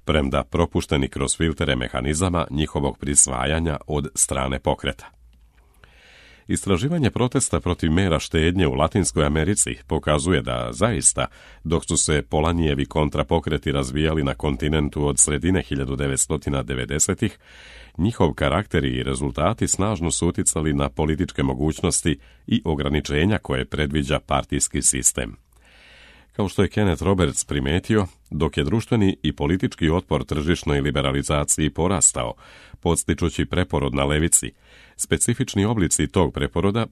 premda propušteni kroz filtere mehanizama njihovog prisvajanja od strane pokreta. Istraživanje protesta protiv mera štednje u Latinskoj Americi pokazuje da, zaista, dok su se Polanijevi kontrapokreti razvijali na kontinentu od sredine hiljadu devetsto devedesetih, njihov karakter i rezultati snažno su uticali na političke mogućnosti i ograničenja koje predviđa partijski sistem. Kao što je Kenneth Roberts primetio, dok je društveni i politički otpor tržišnoj liberalizaciji porastao, podstičući preporod na levici, specifični oblici tog preporoda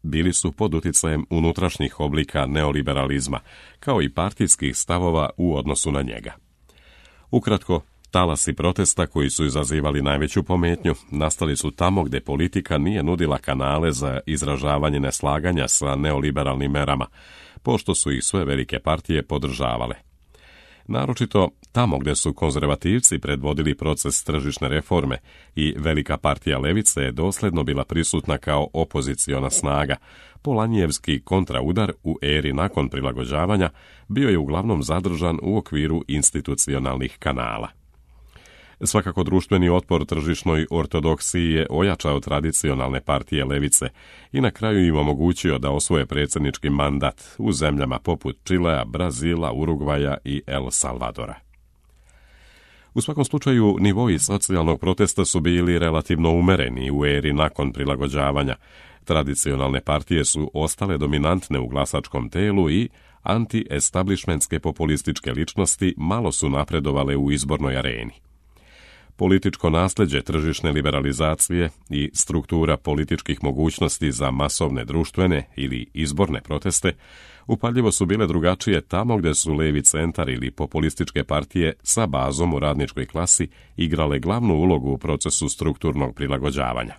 bili su pod uticajem unutrašnjih oblika neoliberalizma, kao i partijskih stavova u odnosu na njega. Ukratko, Talasi protesta koji su izazivali najveću pometnju nastali su tamo gdje politika nije nudila kanale za izražavanje neslaganja sa neoliberalnim merama, pošto su ih sve velike partije podržavale. Naročito tamo gdje su konzervativci predvodili proces tržišne reforme i velika partija levice je dosljedno bila prisutna kao opoziciona snaga, Polanjijevski kontraudar u eri nakon prilagođavanja bio je uglavnom zadržan u okviru institucionalnih kanala. Svakako društveni otpor tržišnoj ortodoksiji je ojačao tradicionalne partije levice i na kraju im omogućio da osvoje predsjednički mandat u zemljama poput Čilea, Brazila, Urugvaja i El Salvadora. U svakom slučaju, nivoi socijalnog protesta su bili relativno umereni u eri nakon prilagođavanja. Tradicionalne partije su ostale dominantne u glasačkom telu i anti-establishmentske populističke ličnosti malo su napredovale u izbornoj areni. Političko nasljeđe tržišne liberalizacije i struktura političkih mogućnosti za masovne društvene ili izborne proteste upaljivo su bile drugačije tamo gdje su levi centar ili populističke partije sa bazom u radničkoj klasi igrale glavnu ulogu u procesu strukturnog prilagođavanja.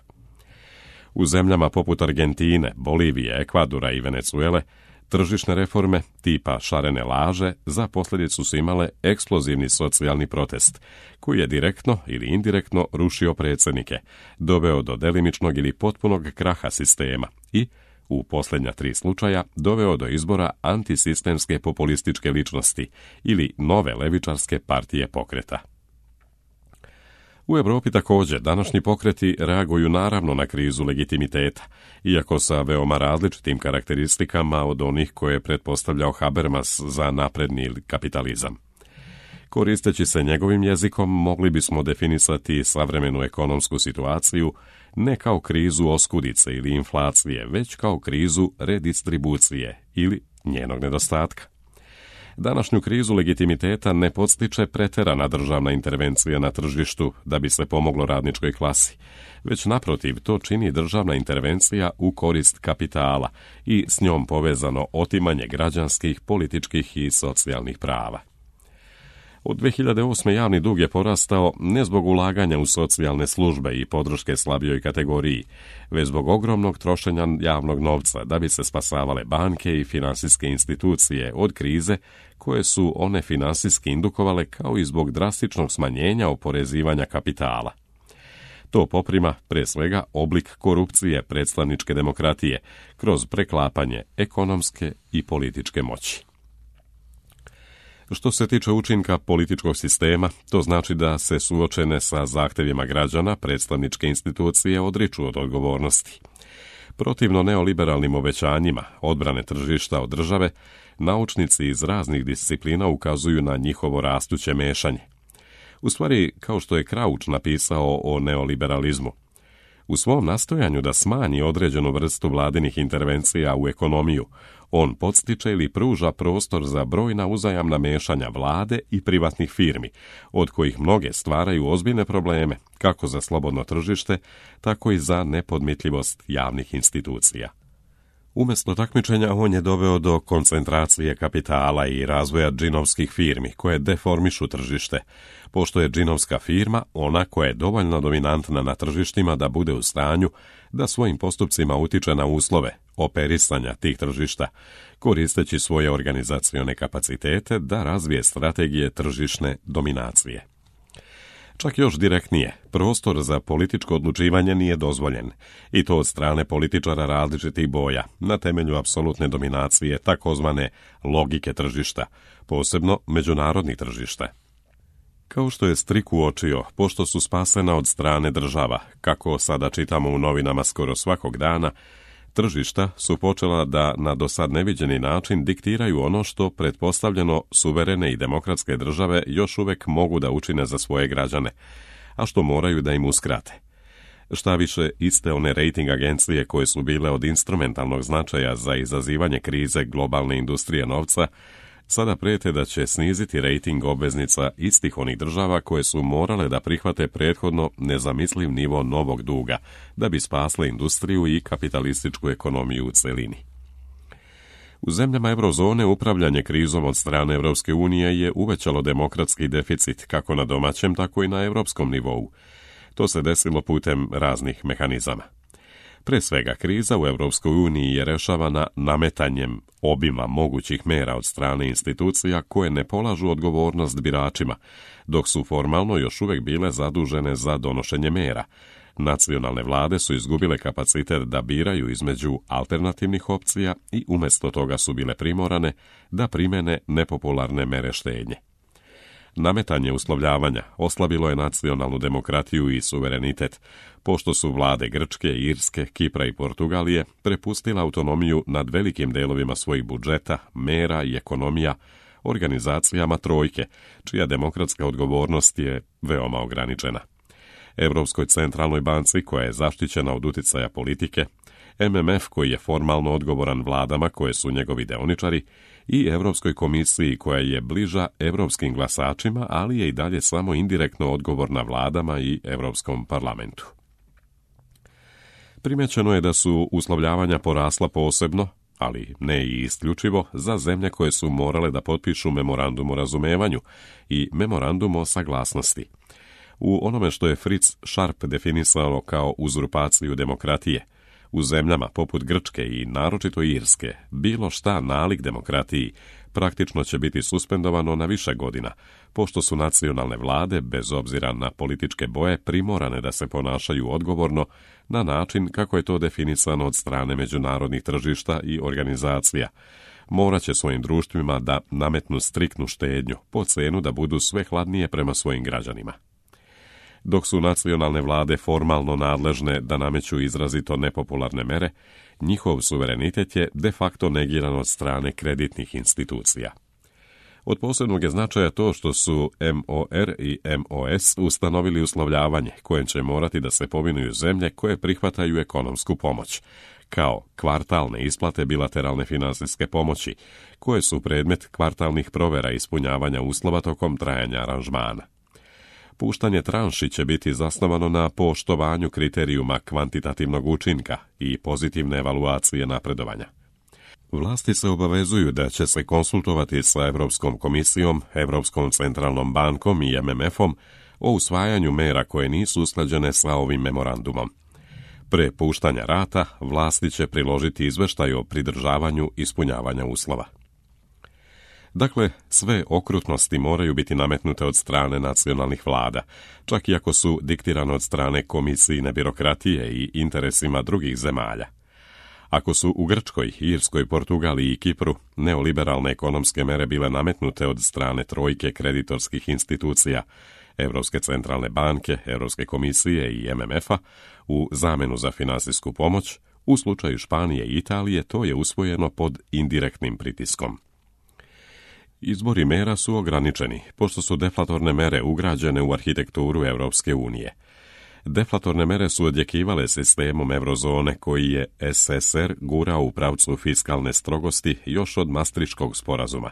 U zemljama poput Argentine, Bolivije, Ekvadora i Venezuele, tržišne reforme tipa šarene laže za posljedicu su imale eksplozivni socijalni protest, koji je direktno ili indirektno rušio predsjednike, doveo do delimičnog ili potpunog kraha sistema i, u posljednja tri slučaja, doveo do izbora antisistemske populističke ličnosti ili nove levičarske partije pokreta. U Europi također današnji pokreti reaguju naravno na krizu legitimiteta, iako sa veoma različitim karakteristikama od onih koje je pretpostavljao Habermas za napredni kapitalizam. Koristeći se njegovim jezikom, mogli bismo definisati savremenu ekonomsku situaciju ne kao krizu oskudice ili inflacije, već kao krizu redistribucije ili njenog nedostatka. Današnju krizu legitimiteta ne podstiče preterana državna intervencija na tržištu da bi se pomoglo radničkoj klasi, već naprotiv to čini državna intervencija u korist kapitala i s njom povezano otimanje građanskih, političkih i socijalnih prava. Od dvije hiljade osme. javni dug je porastao ne zbog ulaganja u socijalne službe i podrške slabijoj kategoriji, već zbog ogromnog trošenja javnog novca da bi se spasavale banke i finansijske institucije od krize koje su one finansijski indukovale, kao i zbog drastičnog smanjenja oporezivanja kapitala. To poprima, pre svega, oblik korupcije predstavničke demokratije kroz preklapanje ekonomske i političke moći. Što se tiče učinka političkog sistema, to znači da se suočene sa zahtjevima građana predstavničke institucije odriču od odgovornosti. Protivno neoliberalnim obećanjima odbrane tržišta od države, naučnici iz raznih disciplina ukazuju na njihovo rastuće mešanje. U stvari, kao što je Crouch napisao o neoliberalizmu, u svom nastojanju da smanji određenu vrstu vladinih intervencija u ekonomiju, on podstiče ili pruža prostor za brojna uzajamna mešanja vlade i privatnih firmi, od kojih mnoge stvaraju ozbiljne probleme, kako za slobodno tržište, tako i za nepodmitljivost javnih institucija. Umjesto takmičenja, on je doveo do koncentracije kapitala i razvoja džinovskih firmi, koje deformišu tržište, pošto je džinovska firma ona koja je dovoljno dominantna na tržištima da bude u stanju da svojim postupcima utiče na uslove operisanja tih tržišta, koristeći svoje organizacione kapacitete da razvije strategije tržišne dominacije. Čak još direktnije, prostor za političko odlučivanje nije dozvoljen, i to od strane političara različitih boja, na temelju apsolutne dominacije takozvane logike tržišta, posebno međunarodnih tržišta. Kao što je Strik uočio, pošto su spasena od strane država, kako sada čitamo u novinama skoro svakog dana, tržišta su počela da na dosad neviđeni način diktiraju ono što pretpostavljeno suverene i demokratske države još uvijek mogu da učine za svoje građane, a što moraju da im uskrate. Šta više, iste one rating agencije koje su bile od instrumentalnog značaja za izazivanje krize globalne industrije novca, sada prijete da će sniziti rating obveznica istih onih država koje su morale da prihvate prethodno nezamisliv nivo novog duga, da bi spasle industriju i kapitalističku ekonomiju u celini. U zemljama eurozone upravljanje krizom od strane Europske unije je uvećalo demokratski deficit kako na domaćem, tako i na europskom nivou. To se desilo putem raznih mehanizama. Pre svega, kriza u Europskoj uniji je rešavana nametanjem obima mogućih mera od strane institucija koje ne polažu odgovornost biračima, dok su formalno još uvijek bile zadužene za donošenje mera. Nacionalne vlade su izgubile kapacitet da biraju između alternativnih opcija i umjesto toga su bile primorane da primene nepopularne mere štednje. Nametanje uslovljavanja oslabilo je nacionalnu demokratiju i suverenitet, pošto su vlade Grčke, Irske, Kipra i Portugalije prepustile autonomiju nad velikim delovima svojih budžeta, mera i ekonomija organizacijama trojke, čija demokratska odgovornost je veoma ograničena. Europskoj centralnoj banci, koja je zaštićena od uticaja politike, M M F, koji je formalno odgovoran vladama koje su njegovi deoničari, i Europskoj komisiji, koja je bliža europskim glasačima, ali je i dalje samo indirektno odgovorna vladama i Europskom parlamentu. Primećeno je da su uslovljavanja porasla posebno, ali ne i isključivo, za zemlje koje su morale da potpišu memorandum o razumevanju i memorandum o saglasnosti. U onome što je Fritz Sharp definisao kao uzurpaciju demokratije, u zemljama poput Grčke i naročito Irske, bilo šta nalik demokratiji praktično će biti suspendovano na više godina, pošto su nacionalne vlade, bez obzira na političke boje, primorane da se ponašaju odgovorno na način kako je to definisano od strane međunarodnih tržišta i organizacija. Morat će svojim društvima da nametnu striktnu štednju, po cenu da budu sve hladnije prema svojim građanima. Dok su nacionalne vlade formalno nadležne da nameću izrazito nepopularne mere, njihov suverenitet je de facto negiran od strane kreditnih institucija. Od posebnog je značaja to što su M O R i M O S ustanovili uslovljavanje kojem će morati da se povinuju zemlje koje prihvataju ekonomsku pomoć, kao kvartalne isplate bilateralne finansijske pomoći, koje su predmet kvartalnih provera ispunjavanja uslova tokom trajanja aranžmana. Puštanje tranši će biti zasnovano na poštovanju kriterijuma kvantitativnog učinka i pozitivne evaluacije napredovanja. Vlasti se obavezuju da će se konsultovati sa Europskom komisijom, Europskom centralnom bankom i M M F-om o usvajanju mera koje nisu usklađene sa ovim memorandumom. Pre puštanja rata, vlasti će priložiti izveštaj o pridržavanju ispunjavanja uslova. Dakle, sve okrutnosti moraju biti nametnute od strane nacionalnih vlada, čak i ako su diktirane od strane komisijine birokratije i interesima drugih zemalja. Ako su u Grčkoj, Irskoj, Portugaliji i Kipru neoliberalne ekonomske mere bile nametnute od strane trojke kreditorskih institucija, Europske centralne banke, Europske komisije i M M F-a, u zamenu za finansijsku pomoć, u slučaju Španije i Italije to je usvojeno pod indirektnim pritiskom. Izbori mera su ograničeni, pošto su deflatorne mere ugrađene u arhitekturu Europske unije. Deflatorne mere su odjekivale sistemom eurozone koji je S S R gurao u pravcu fiskalne strogosti još od Maastrichtskog sporazuma.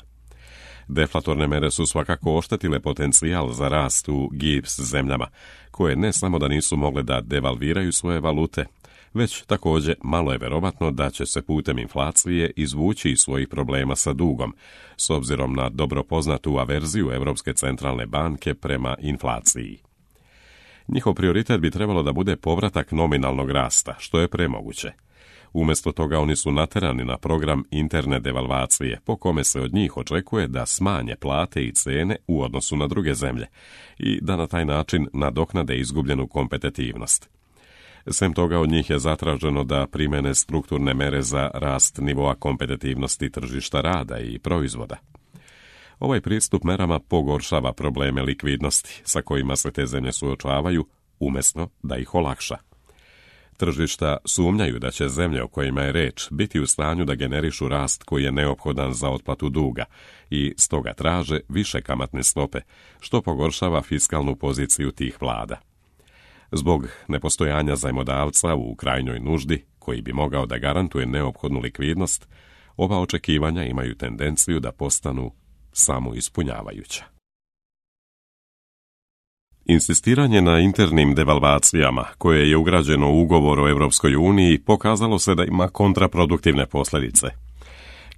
Deflatorne mere su svakako oštetile potencijal za rast u G I B S zemljama, koje ne samo da nisu mogle da devalviraju svoje valute, već također malo je verovatno da će se putem inflacije izvući iz svojih problema sa dugom, s obzirom na dobro poznatu averziju Europske centralne banke prema inflaciji. Njihov prioritet bi trebalo da bude povratak nominalnog rasta, što je premoguće. Umjesto toga oni su naterani na program interne devalvacije, po kome se od njih očekuje da smanje plate i cene u odnosu na druge zemlje i da na taj način nadoknade izgubljenu kompetitivnost. Sem toga od njih je zatraženo da primene strukturne mere za rast nivoa kompetitivnosti tržišta rada i proizvoda. Ovaj pristup merama pogoršava probleme likvidnosti sa kojima se te zemlje suočavaju, umjesto da ih olakša. Tržišta sumnjaju da će zemlje o kojima je reč biti u stanju da generišu rast koji je neophodan za otplatu duga i stoga traže više kamatne stope, što pogoršava fiskalnu poziciju tih vlada. Zbog nepostojanja zajmodavca u krajnjoj nuždi, koji bi mogao da garantuje neophodnu likvidnost, ova očekivanja imaju tendenciju da postanu samoispunjavajuća. Insistiranje na internim devalvacijama, koje je ugrađeno u ugovor o Europskoj uniji, pokazalo se da ima kontraproduktivne posljedice.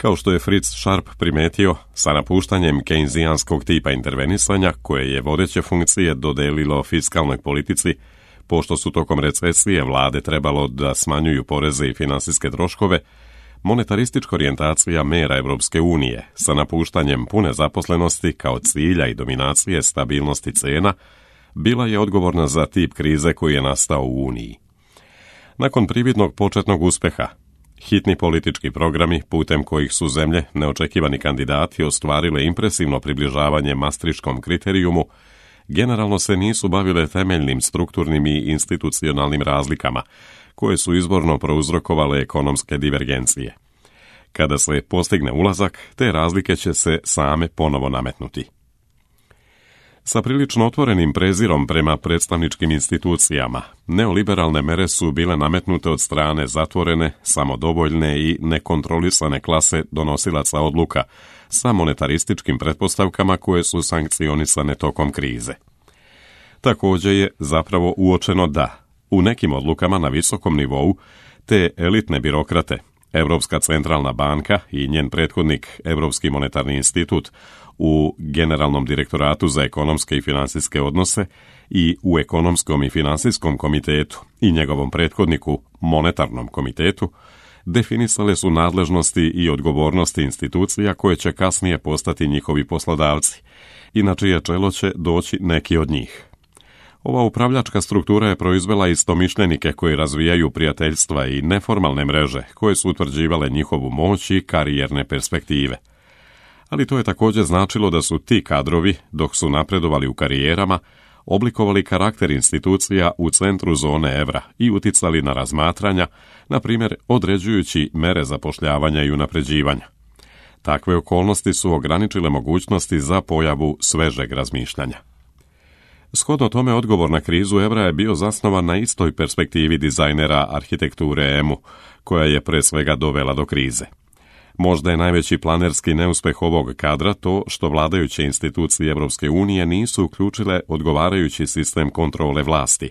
Kao što je Fritz Sharp primetio, sa napuštanjem keynesijanskog tipa intervenisanja, koje je vodeće funkcije dodelilo fiskalnoj politici, pošto su tokom recesije vlade trebalo da smanjuju poreze i finansijske troškove, monetaristička orijentacija mera Evropske unije sa napuštanjem pune zaposlenosti kao cilja i dominacije stabilnosti cena bila je odgovorna za tip krize koji je nastao u Uniji. Nakon prividnog početnog uspeha, hitni politički programi putem kojih su zemlje, neočekivani kandidati, ostvarile impresivno približavanje Maastrichtskom kriterijumu, generalno se nisu bavile temeljnim strukturnim i institucionalnim razlikama, koje su izvorno prouzrokovale ekonomske divergencije. Kada se postigne ulazak, te razlike će se same ponovo nametnuti. Sa prilično otvorenim prezirom prema predstavničkim institucijama, neoliberalne mere su bile nametnute od strane zatvorene, samodovoljne i nekontrolisane klase donosilaca odluka sa monetarističkim pretpostavkama koje su sankcionisane tokom krize. Također je zapravo uočeno da, u nekim odlukama na visokom nivou, te elitne birokrate, Europska centralna banka i njen prethodnik Europski monetarni institut u Generalnom direktoratu za ekonomske i finansijske odnose i u Ekonomskom i finansijskom komitetu i njegovom prethodniku Monetarnom komitetu, definisale su nadležnosti i odgovornosti institucija koje će kasnije postati njihovi poslodavci, i na čije čelo će doći neki od njih. Ova upravljačka struktura je proizvela istomišljenike koji razvijaju prijateljstva i neformalne mreže koje su utvrđivale njihovu moć i karijerne perspektive. Ali to je također značilo da su ti kadrovi, dok su napredovali u karijerama, oblikovali karakter institucija u centru zone evra i uticali na razmatranja, na primjer određujući mere zapošljavanja i unapređivanja. Takve okolnosti su ograničile mogućnosti za pojavu svežeg razmišljanja. Shodno tome, odgovor na krizu evra je bio zasnovan na istoj perspektivi dizajnera arhitekture E M U, koja je pre svega dovela do krize. Možda je najveći planerski neuspeh ovog kadra to što vladajuće institucije Evropske unije nisu uključile odgovarajući sistem kontrole vlasti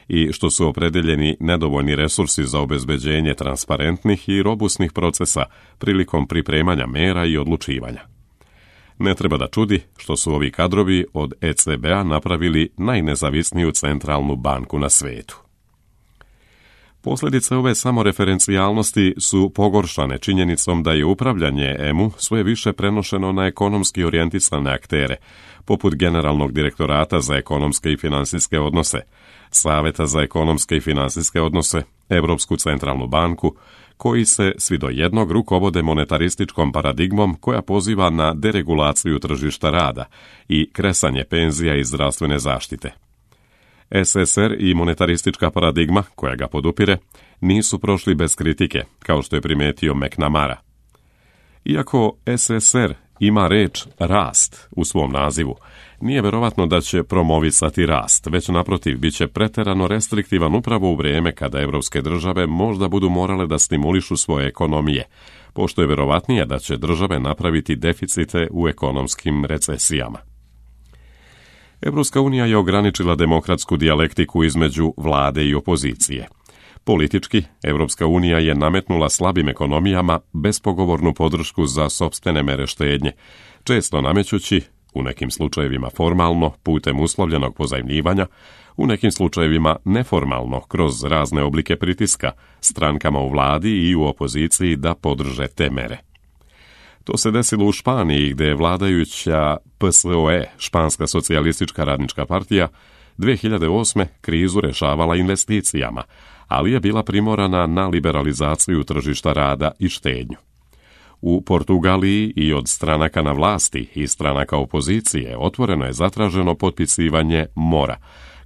i što su opredeljeni nedovoljni resursi za obezbeđenje transparentnih i robusnih procesa prilikom pripremanja mera i odlučivanja. Ne treba da čudi što su ovi kadrovi od E C B-a napravili najnezavisniju centralnu banku na svetu. Posljedice ove samoreferencijalnosti su pogoršane činjenicom da je upravljanje E M U sve više prenošeno na ekonomski orijentisane aktere, poput Generalnog direktorata za ekonomske i finansijske odnose, Saveta za ekonomske i finansijske odnose, Europsku centralnu banku, koji se svi do jednog rukovode monetarističkom paradigmom koja poziva na deregulaciju tržišta rada i kresanje penzija i zdravstvene zaštite. S S R i monetaristička paradigma, koja ga podupire, nisu prošli bez kritike, kao što je primetio McNamara. Iako S S R ima reč rast u svom nazivu, nije verovatno da će promovisati rast, već naprotiv bit će preterano restriktivan upravo u vrijeme kada evropske države možda budu morale da stimulišu svoje ekonomije, pošto je verovatnije da će države napraviti deficite u ekonomskim recesijama. Evropska unija je ograničila demokratsku dijalektiku između vlade i opozicije. Politički, Evropska unija je nametnula slabim ekonomijama bespogovornu podršku za sopstvene mere štednje, često namećući, u nekim slučajevima formalno, putem uslovljenog pozajmljivanja, u nekim slučajevima neformalno, kroz razne oblike pritiska, strankama u vladi i u opoziciji da podrže te mere. To se desilo u Španiji, gdje je vladajuća P S O E, Španska socijalistička radnička partija, dve hiljade osme krizu rešavala investicijama, ali je bila primorana na liberalizaciju tržišta rada i štednju. U Portugaliji i od stranaka na vlasti i stranaka opozicije otvoreno je zatraženo potpisivanje mora,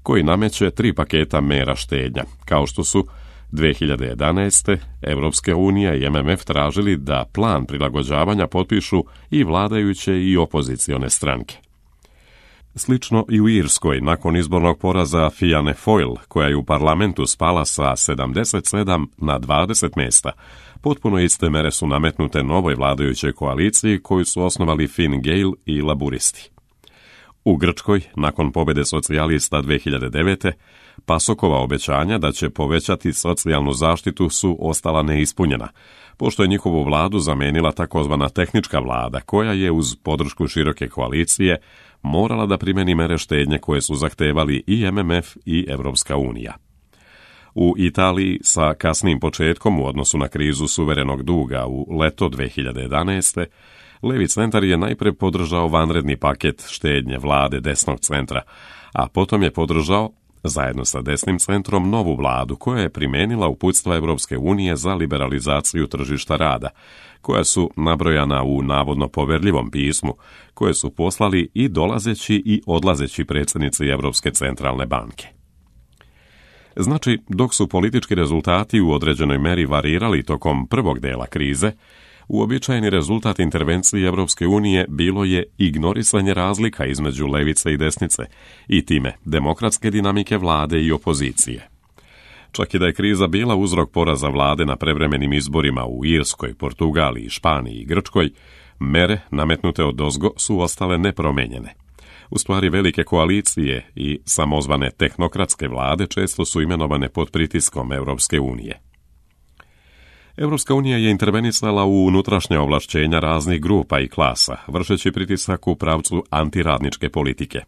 koji nameće tri paketa mera štednja, kao što su dve hiljade jedanaeste. Evropska unija i M M F tražili da plan prilagođavanja potpišu i vladajuće i opozicione stranke. Slično i u Irskoj, nakon izbornog poraza Fianne Fáil, koja je u parlamentu spala sa sedamdeset sedam na dvadeset mjesta, potpuno iste mere su nametnute novoj vladajućoj koaliciji koju su osnovali Fine Gael i laburisti. U Grčkoj, nakon pobjede socijalista dve hiljade devete. Pasokova obećanja da će povećati socijalnu zaštitu su ostala neispunjena, pošto je njihovu vladu zamenila takozvana tehnička vlada, koja je uz podršku široke koalicije morala da primeni mere štednje koje su zahtevali i M M F i Evropska unija. U Italiji sa kasnim početkom u odnosu na krizu suverenog duga u leto dve hiljade jedanaeste. Levi centar je najpre podržao vanredni paket štednje vlade desnog centra, a potom je podržao, zajedno sa desnim centrom, novu vladu koja je primenila uputstva Evropske unije za liberalizaciju tržišta rada, koja su nabrojana u navodno poverljivom pismu, koje su poslali i dolazeći i odlazeći predsjednici Evropske centralne banke. Znači, dok su politički rezultati u određenoj meri varirali tokom prvog dela krize, uobičajeni rezultat intervencije Evropske unije bilo je ignorisanje razlika između levice i desnice i time demokratske dinamike vlade i opozicije. Čak i da je kriza bila uzrok poraza vlade na prevremenim izborima u Irskoj, Portugaliji, Španiji i Grčkoj, mere nametnute odozgo su ostale nepromenjene. U stvari, velike koalicije i samozvane tehnokratske vlade često su imenovane pod pritiskom Evropske unije. Evropska unija je intervenisala u unutrašnja ovlašćenja raznih grupa i klasa, vršeći pritisak u pravcu antiradničke politike.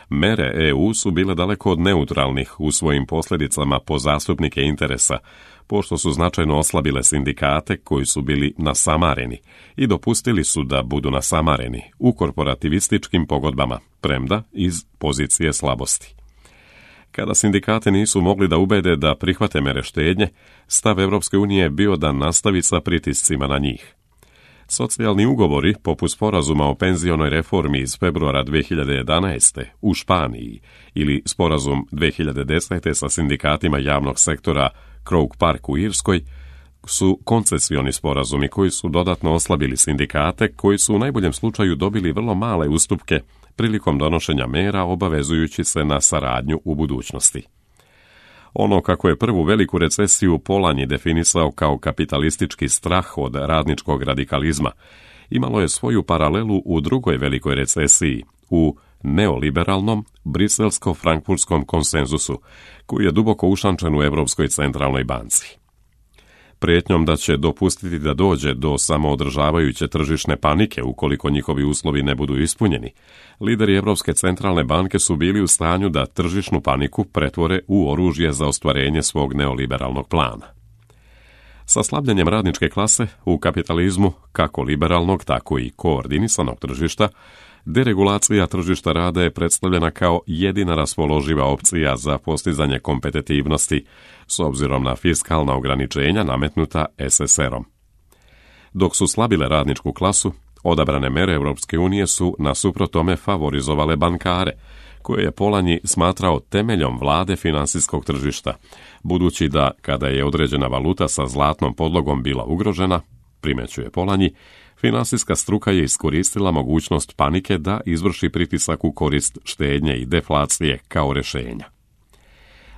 Mere E U su bile daleko od neutralnih u svojim posljedicama po zastupnike interesa, pošto su značajno oslabile sindikate koji su bili nasamareni i dopustili su da budu nasamareni u korporativističkim pogodbama, premda iz pozicije slabosti. Kada sindikate nisu mogli da ubede da prihvate mere štednje, stav Evropske unije je bio da nastavi sa pritiscima na njih. Socijalni ugovori, poput sporazuma o penzionoj reformi iz februara dve hiljade jedanaeste. u Španiji ili sporazum dve hiljade desete. sa sindikatima javnog sektora Croke Park u Irskoj, su koncesioni sporazumi koji su dodatno oslabili sindikate, koji su u najboljem slučaju dobili vrlo male ustupke prilikom donošenja mera obavezujući se na saradnju u budućnosti. Ono kako je prvu veliku recesiju Polanyi definisao kao kapitalistički strah od radničkog radikalizma, imalo je svoju paralelu u drugoj velikoj recesiji, u neoliberalnom briselsko-frankfurtskom konsenzusu, koji je duboko ušančen u Evropskoj centralnoj banci. Prijetnjom da će dopustiti da dođe do samoodržavajuće tržišne panike ukoliko njihovi uslovi ne budu ispunjeni, lideri Evropske centralne banke su bili u stanju da tržišnu paniku pretvore u oružje za ostvarenje svog neoliberalnog plana. Sa slabljenjem radničke klase u kapitalizmu, kako liberalnog, tako i koordinisanog tržišta, deregulacija tržišta rada je predstavljena kao jedina raspoloživa opcija za postizanje kompetitivnosti s obzirom na fiskalna ograničenja nametnuta S S R-om. Dok su slabile radničku klasu, odabrane mere Evropske unije su nasuprot tome favorizovale bankare, koje je Polanyi smatrao temeljom vlade finansijskog tržišta, budući da kada je određena valuta sa zlatnom podlogom bila ugrožena, primećuje Polanyi, finansijska struka je iskoristila mogućnost panike da izvrši pritisak u korist štednje i deflacije kao rješenja.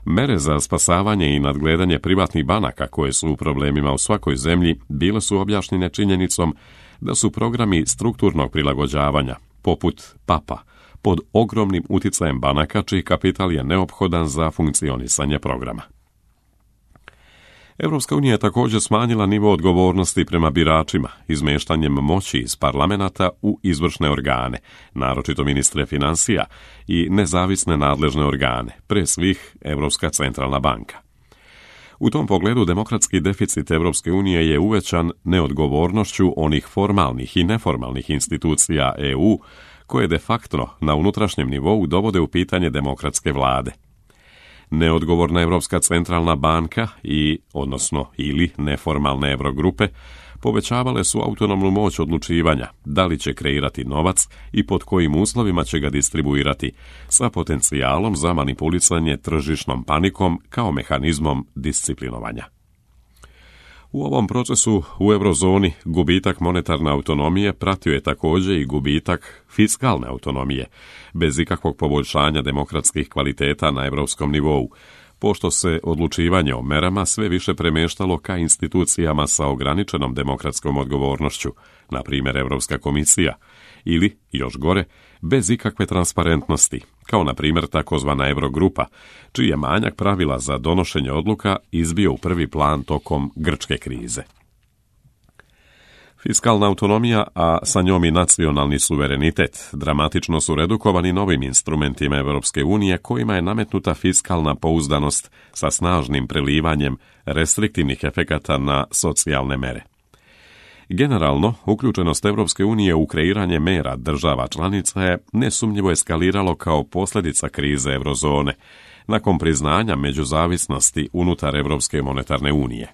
Mere za spasavanje i nadgledanje privatnih banaka koje su u problemima u svakoj zemlji bile su objašnjene činjenicom da su programi strukturnog prilagođavanja, poput P A P-a, pod ogromnim uticajem banaka čiji kapital je neophodan za funkcionisanje programa. Evropska unija je također smanjila nivo odgovornosti prema biračima, izmeštanjem moći iz parlamenta u izvršne organe, naročito ministre financija i nezavisne nadležne organe, pre svih Evropska centralna banka. U tom pogledu demokratski deficit Evropske unije je uvećan neodgovornošću onih formalnih i neformalnih institucija E U, koje de facto na unutrašnjem nivou dovode u pitanje demokratske vlade. Neodgovorna Evropska centralna banka i, odnosno ili neformalne Eurogrupe, povećavale su autonomnu moć odlučivanja da li će kreirati novac i pod kojim uslovima će ga distribuirati, sa potencijalom za manipulisanje tržišnom panikom kao mehanizmom disciplinovanja. U ovom procesu u eurozoni gubitak monetarne autonomije pratio je također i gubitak fiskalne autonomije, bez ikakvog poboljšanja demokratskih kvaliteta na evropskom nivou, pošto se odlučivanje o merama sve više premještalo ka institucijama sa ograničenom demokratskom odgovornošću, na primjer Evropska komisija, ili, još gore, bez ikakve transparentnosti, kao na primjer takozvana Eurogrupa, čiji je manjak pravila za donošenje odluka izbio u prvi plan tokom grčke krize. Fiskalna autonomija, a sa njom i nacionalni suverenitet, dramatično su redukovani novim instrumentima Europske unije kojima je nametnuta fiskalna pouzdanost sa snažnim prelivanjem restriktivnih efekata na socijalne mere. Generalno, uključenost Europske unije u kreiranje mera država članica je nesumnjivo eskaliralo kao posljedica krize eurozone, nakon priznanja međuzavisnosti unutar Europske monetarne unije.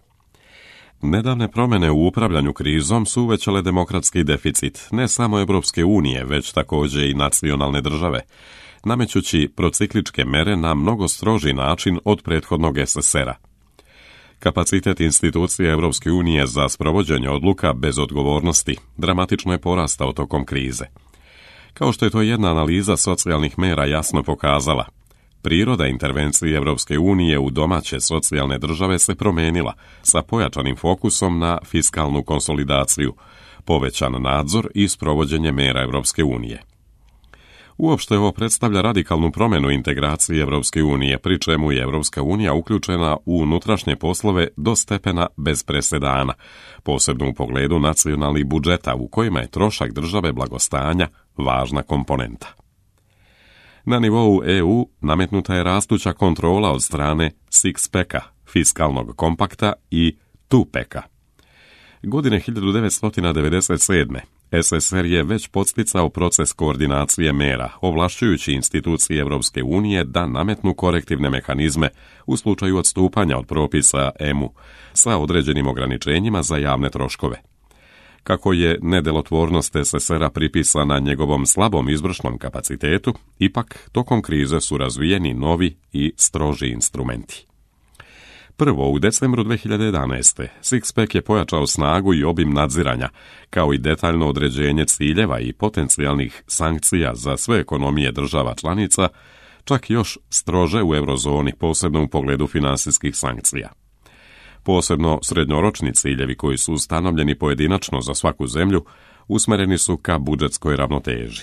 Nedavne promjene u upravljanju krizom su uvećale demokratski deficit ne samo Europske unije, već također i nacionalne države, namećući procikličke mere na mnogo stroži način od prethodnog es es era. Kapacitet institucije Europske unije za sprovođenje odluka bez odgovornosti dramatično je porastao tokom krize. Kao što je to jedna analiza socijalnih mera jasno pokazala, priroda intervencije Europske unije u domaće socijalne države se promijenila sa pojačanim fokusom na fiskalnu konsolidaciju, povećan nadzor i sprovođenje mera Europske unije. Uopšte ovo predstavlja radikalnu promjenu integracije Europske unije, pri čemu je Europska unija uključena u unutrašnje poslove do stepena bez presedana, posebno u pogledu nacionalnih budžeta u kojima je trošak države blagostanja važna komponenta. Na nivou e u nametnuta je rastuća kontrola od strane six-packa, fiskalnog kompakta i two-packa. Godine hiljadu devetsto devedeset sedme es es er je već podsticao proces koordinacije mera, ovlašćujući institucije Europske unije da nametnu korektivne mehanizme u slučaju odstupanja od propisa e mu sa određenim ograničenjima za javne troškove. Kako je nedelotvornost es es era pripisana njegovom slabom izvršnom kapacitetu, ipak tokom krize su razvijeni novi i stroži instrumenti. Prvo, u decembru dve hiljade jedanaeste. Six-pack je pojačao snagu i obim nadziranja, kao i detaljno određenje ciljeva i potencijalnih sankcija za sve ekonomije država članica, čak još strože u eurozoni, posebno u pogledu finansijskih sankcija. Posebno srednjoročni ciljevi koji su ustanovljeni pojedinačno za svaku zemlju usmereni su ka budžetskoj ravnoteži.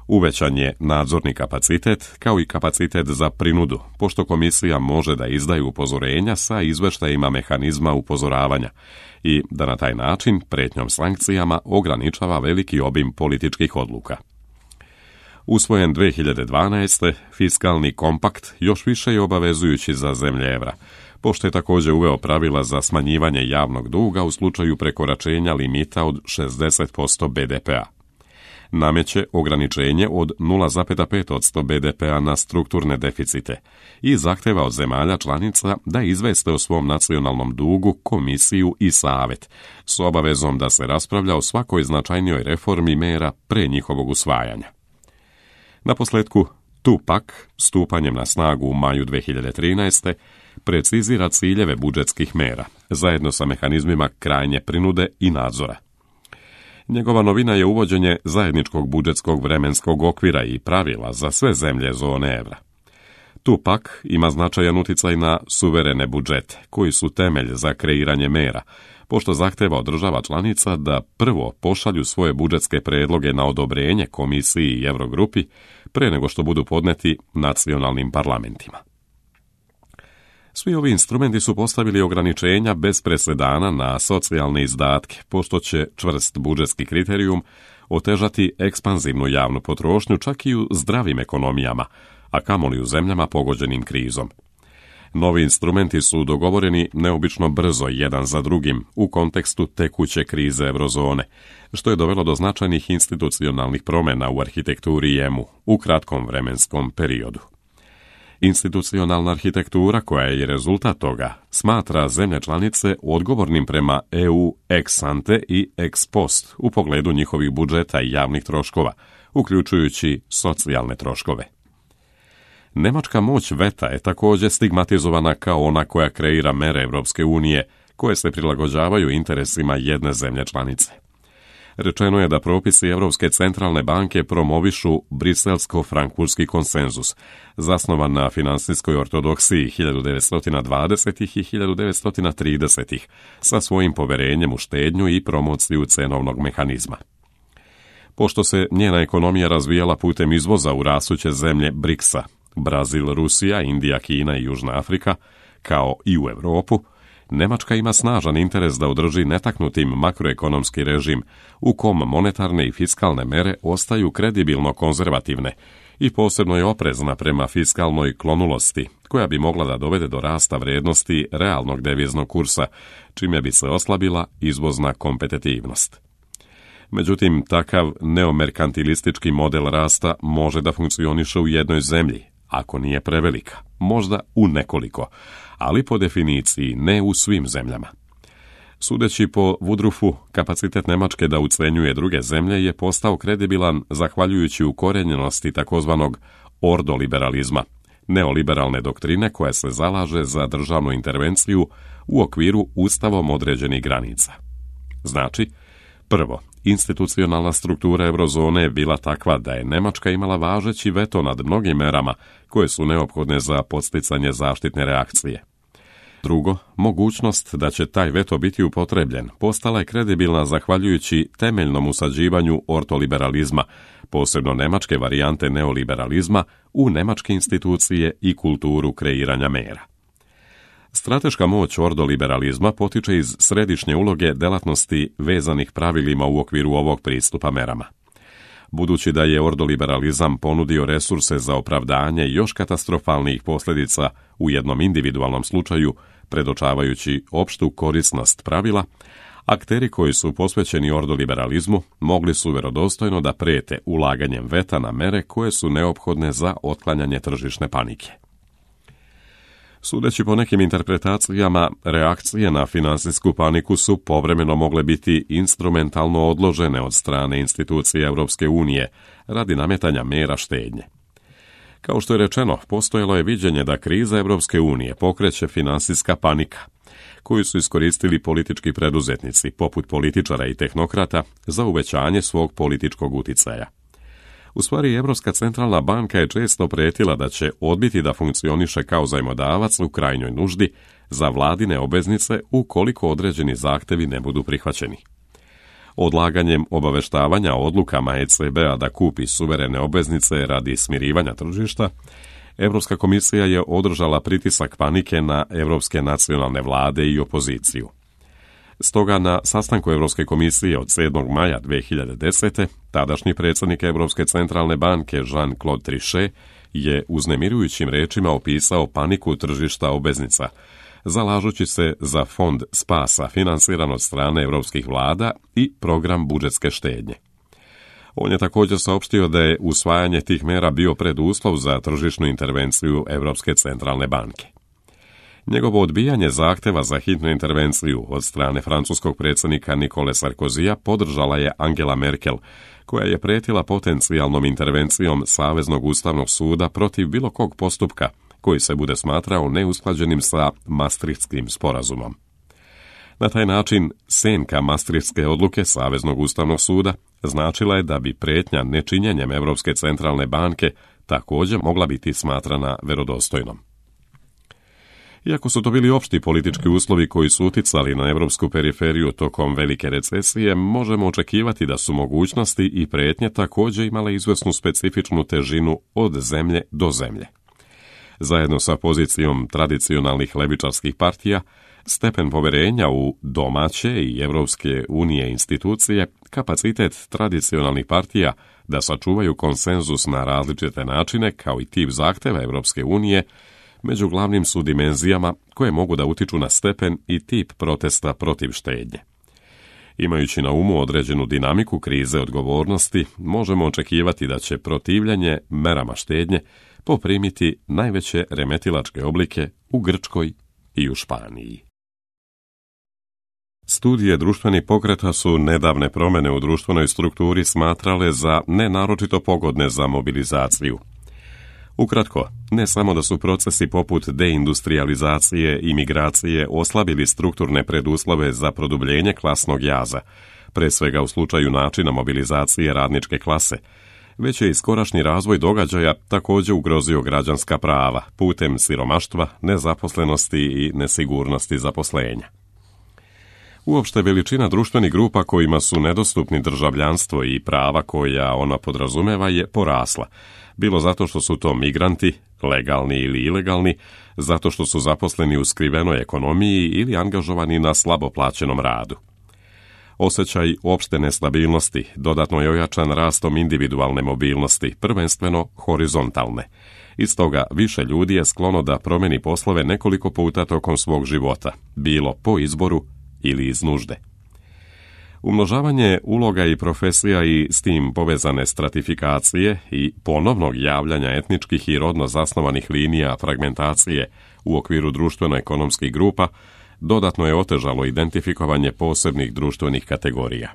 Uvećan je nadzorni kapacitet kao i kapacitet za prinudu, pošto komisija može da izdaje upozorenja sa izveštajima mehanizma upozoravanja i da na taj način pretnjom sankcijama ograničava veliki obim političkih odluka. Usvojen dve hiljade dvanaeste. fiskalni kompakt još više je obavezujući za zemlje evra, pošto je također uveo pravila za smanjivanje javnog duga u slučaju prekoračenja limita od šezdeset posto be de pe a. Nameće ograničenje od nula zarez pet posto be de pe a na strukturne deficite i zahteva od zemalja članica da izveste o svom nacionalnom dugu komisiju i savet, s obavezom da se raspravlja o svakoj značajnijoj reformi mera pre njihovog usvajanja. Naposljetku, two-pack, stupanjem na snagu u maju dve hiljade trinaeste. precizira ciljeve budžetskih mera, zajedno sa mehanizmima krajnje prinude i nadzora. Njegova novina je uvođenje zajedničkog budžetskog vremenskog okvira i pravila za sve zemlje zone evra. two-pack ima značajan uticaj na suverene budžete, koji su temelj za kreiranje mera, pošto zahteva od država članica da prvo pošalju svoje budžetske predloge na odobrenje komisiji i Eurogrupi pre nego što budu podneti nacionalnim parlamentima. Svi ovi instrumenti su postavili ograničenja bez presedana na socijalne izdatke, pošto će čvrst budžetski kriterijum otežati ekspanzivnu javnu potrošnju čak i u zdravim ekonomijama, a kamoli u zemljama pogođenim krizom. Novi instrumenti su dogovoreni neobično brzo jedan za drugim u kontekstu tekuće krize eurozone, što je dovelo do značajnih institucionalnih promjena u arhitekturi e mu u kratkom vremenskom periodu. Institucionalna arhitektura, koja je rezultat toga, smatra zemlje članice odgovornim prema e u ex ante i ex post u pogledu njihovih budžeta i javnih troškova, uključujući socijalne troškove. Nemačka moć veta je također stigmatizovana kao ona koja kreira mere Europske unije, koje se prilagođavaju interesima jedne zemlje članice. Rečeno je da propisi Europske centralne banke promovišu briselsko-frankfurtski konsenzus, zasnovan na finansijskoj ortodoksiji hiljadu devetsto dvadesetih i hiljadu devetsto tridesetih, sa svojim poverenjem u štednju i promociju cenovnog mehanizma. Pošto se njena ekonomija razvijala putem izvoza u rastuće zemlje briksa, Brazil, Rusija, Indija, Kina i Južna Afrika, kao i u Europu, Nemačka ima snažan interes da održi netaknutim makroekonomski režim u kom monetarne i fiskalne mere ostaju kredibilno konzervativne i posebno je oprezna prema fiskalnoj klonulosti, koja bi mogla da dovede do rasta vrijednosti realnog deviznog kursa, čime bi se oslabila izvozna kompetitivnost. Međutim, takav neomerkantilistički model rasta može da funkcioniše u jednoj zemlji, ako nije prevelika, možda u nekoliko, ali po definiciji ne u svim zemljama. Sudeći po Woodruffu, kapacitet Nemačke da ucenjuje druge zemlje je postao kredibilan zahvaljujući ukorenjenosti takozvanog ordoliberalizma, neoliberalne doktrine koja se zalaže za državnu intervenciju u okviru ustavom određenih granica. Znači, prvo, institucionalna struktura eurozone je bila takva da je Nemačka imala važeći veto nad mnogim merama koje su neophodne za podsticanje zaštitne reakcije. Drugo, mogućnost da će taj veto biti upotrebljen postala je kredibilna zahvaljujući temeljnom usađivanju ortoliberalizma, posebno nemačke varijante neoliberalizma, u nemačke institucije i kulturu kreiranja mera. Strateška moć ordoliberalizma potiče iz središnje uloge delatnosti vezanih pravilima u okviru ovog pristupa merama. Budući da je ordoliberalizam ponudio resurse za opravdanje još katastrofalnijih posljedica u jednom individualnom slučaju, predočavajući opštu korisnost pravila, akteri koji su posvećeni ordoliberalizmu mogli su verodostojno da prijete ulaganjem veta na mere koje su neophodne za otklanjanje tržišne panike. Sudeći po nekim interpretacijama, reakcije na finansijsku paniku su povremeno mogle biti instrumentalno odložene od strane institucije Europske unije radi nametanja mera štednje. Kao što je rečeno, postojalo je viđenje da kriza Europske unije pokreće finansijska panika, koju su iskoristili politički preduzetnici, poput političara i tehnokrata, za uvećanje svog političkog uticaja. U stvari, Europska centralna banka je često prijetila da će odbiti da funkcioniše kao zajmodavac u krajnjoj nuždi za vladine obveznice ukoliko određeni zahtevi ne budu prihvaćeni. Odlaganjem obaveštavanja odlukama E C B-a da kupi suverene obveznice radi smirivanja tržišta, Europska komisija je održala pritisak panike na europske nacionalne vlade i opoziciju. Stoga na sastanku Europske komisije od sedmog maja dve hiljade desete. tadašnji predsjednik Europske centralne banke Jean-Claude Trichet je uznemirujućim rečima opisao paniku tržišta obveznica, zalažući se za fond spasa financiran od strane europskih vlada i program budžetske štednje. On je također saopštio da je usvajanje tih mera bio preduslov za tržišnu intervenciju Europske centralne banke. Njegovo odbijanje zahteva za hitnu intervenciju od strane francuskog predsjednika Nicole Sarkozija podržala je Angela Merkel, koja je prijetila potencijalnom intervencijom Saveznog ustavnog suda protiv bilo kog postupka koji se bude smatrao neusklađenim sa Maastrichtskim sporazumom. Na taj način, senka Maastrichtske odluke Saveznog ustavnog suda značila je da bi prijetnja nečinjenjem Europske centralne banke također mogla biti smatrana verodostojnom. Iako su to bili opšti politički uslovi koji su uticali na europsku periferiju tokom velike recesije, možemo očekivati da su mogućnosti i prijetnje također imale izvesnu specifičnu težinu od zemlje do zemlje. Zajedno sa pozicijom tradicionalnih levičarskih partija, stepen poverenja u domaće i Europske unije institucije, kapacitet tradicionalnih partija da sačuvaju konsenzus na različite načine, kao i tip zahteva Europske unije, među glavnim su dimenzijama koje mogu da utiču na stepen i tip protesta protiv štednje. Imajući na umu određenu dinamiku krize odgovornosti, možemo očekivati da će protivljenje merama štednje poprimiti najveće remetilačke oblike u Grčkoj i u Španiji. Studije društvenih pokreta su nedavne promjene u društvenoj strukturi smatrale za nenaročito pogodne za mobilizaciju. Ukratko, ne samo da su procesi poput deindustrializacije i migracije oslabili strukturne preduslove za produbljenje klasnog jaza, pre svega u slučaju načina mobilizacije radničke klase, već je i skorašnji razvoj događaja također ugrozio građanska prava putem siromaštva, nezaposlenosti i nesigurnosti zaposlenja. Uopšte veličina društvenih grupa kojima su nedostupni državljanstvo i prava koja ona podrazumeva je porasla, bilo zato što su to migranti, legalni ili ilegalni, zato što su zaposleni u skrivenoj ekonomiji ili angažovani na slabo plaćenom radu. Osjećaj opšte nestabilnosti dodatno je ojačan rastom individualne mobilnosti, prvenstveno horizontalne. Iz toga više ljudi je sklono da promeni poslove nekoliko puta tokom svog života, bilo po izboru ili iz nužde. Umnožavanje uloga i profesija i s tim povezane stratifikacije i ponovnog javljanja etničkih i rodno zasnovanih linija fragmentacije u okviru društveno-ekonomskih grupa dodatno je otežalo identifikovanje posebnih društvenih kategorija.